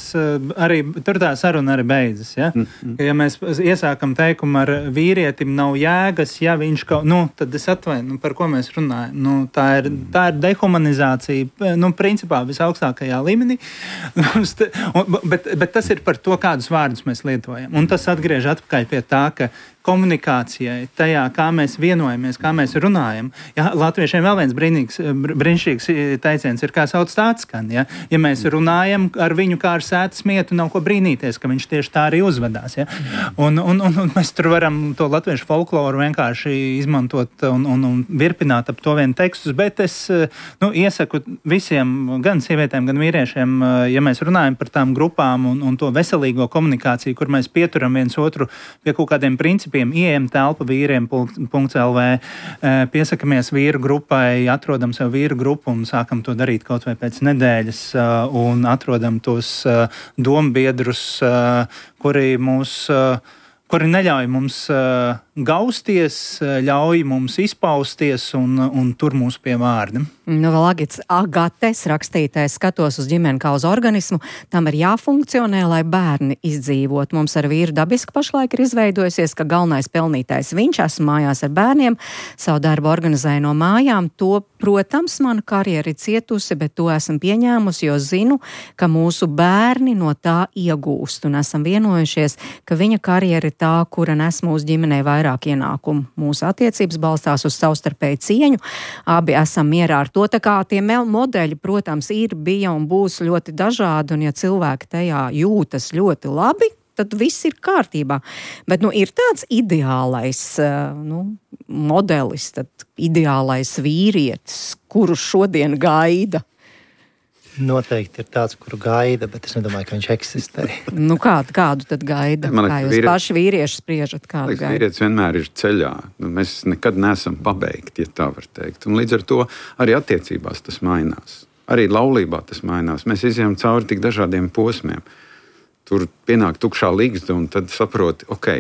arī, tur tā saruna arī beidzas, ja? Mm-hmm. Ja mēs iesākam teikumu ar vīrietim nav jēgas, ja viņš kaut, nu, tad es atvainu, nu, par ko mēs runājam. Nu, tā ir, tā ir dehumanizācija, nu, principā visaugstākajā līmenī, bet, bet tas ir par to, kādus vārdus mēs lietojam. Un tas atgriež atpakaļ pie tā, ka komunikācijai, tajā, kā mēs vienojamies, kā mēs runājam. Ja, latviešiem vēl viens brīnīgs, brīnišķīgs teiciens ir, kā sauc tāds skan. Ja, ja mēs runājam ar viņu kā ar sētas mietu, nav ko brīnīties, ka viņš tieši tā arī uzvedās. Ja. Un, un, un, un mēs tur varam to latviešu folkloru vienkārši izmantot un, un, un virpināt ap to vienu tekstus, bet es nu, iesaku visiem, gan sievietēm, gan vīriešiem, ja mēs runājam par tām grupām un, un to veselīgo komunikāciju, kur mēs pieturam viens otru pie kaut kādiem principiem, ieejam telpa vīriem punkts el vē, piesakamies vīru grupai, atrodam sev vīru grupu un sākam to darīt kaut vai pēc nedēļas un atrodam tos dombiedrus, kuri mūs, kuri neļauj mums gausties, ļauj mums izpausties un, un tur mūs pie vārda. Nu, vēl Agits Agates rakstītais skatos uz ģimeni kā uz organismu, tam ir jāfunkcionē, lai bērni izdzīvot. Mums ar vīru dabiski pašlaik ir izveidojusies, ka galvenais pelnītājs viņš, esmu mājās ar bērniem, savu darbu organizēju no mājām. To, protams, mana karjera ir cietusi, bet to esmu pieņēmusi, jo zinu, ka mūsu bērni no tā iegūst un esam vienojušies, ka viņa karjera ir tā, kura nes mūsu ģimenei vairāk ienākumu. Mūsu attiecības balstās uz savstarpēju cieņu. Abi esam mierā ar to, tā kā tie modeļi, protams, ir, bija un būs ļoti dažādi, un ja cilvēki tajā jūtas ļoti labi, tad viss ir kārtībā. Bet, nu, ir tāds ideālais, nu, modelis, tad ideālais vīrietis, kuru šodien gaida. Noteikti ir tāds, kuru gaida, bet es nedomāju, ka viņš eksistē. Nu, kādu, kādu tad gaida? Man kā jūs vīri... paši vīrieši spriežat, kādu gaida? Vīrietis vienmēr ir ceļā. Nu, mēs nekad neesam pabeigti, ja tā var teikt. Un līdz ar to arī attiecībās tas mainās. Arī laulībā tas mainās. Mēs izjām cauri tik dažādiem posmiem. Tur pienāk tukšā līgsta un tad saproti, ok,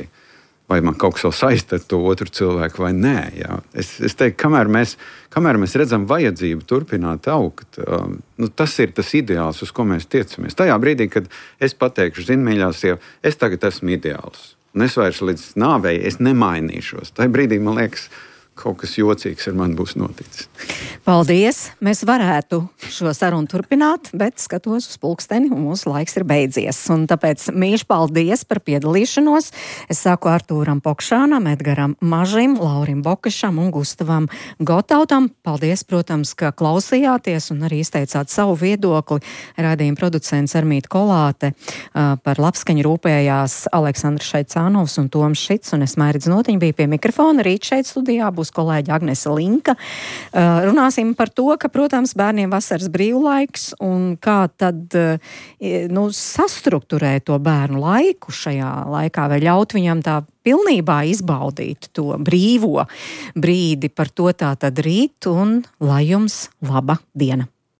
vai man kaut kas vēl saista ar to otru cilvēku vai nē. Jā. Es, es teiktu, kamēr mēs, kamēr mēs redzam vajadzību turpināt augt, um, nu, tas ir tas ideāls, uz ko mēs tiecamies. Tajā brīdī, kad es pateikšu, zinu, mīļā sieva, es tagad esmu ideāls. Un es vairs līdz nāvei es nemainīšos. Tajā brīdī, man liekas, kaut kas jocīgs ar mani būs noticis. Paldies! Mēs varētu šo sarunu turpināt, bet skatos uz pulksteni un mūsu laiks ir beidzies. Un tāpēc mīļš paldies par piedalīšanos. Es saku Artūram Pokšānam, Edgaram Mažim, Laurim Bokašam un Gustavam Gotautam. Paldies, protams, ka klausījāties un arī izteicāt savu viedokli. Raidījuma producents Armīta Kolāte, par labskaņu rūpējās Aleksandrs Šaicānovs un Toms Šits, un es Mairidz Notiņa biju pie mikrofona. Rīt šeit studijā būs kolēģi Agnese Linka. Uh, runāsim par to, ka, protams, bērniem vasaras brīvlaiks un kā tad uh, nu, sastrukturēt to bērnu laiku šajā laikā, vai ļaut viņam tā pilnībā izbaudīt to brīvo brīdi. Par to tā tad rīt un lai jums laba diena.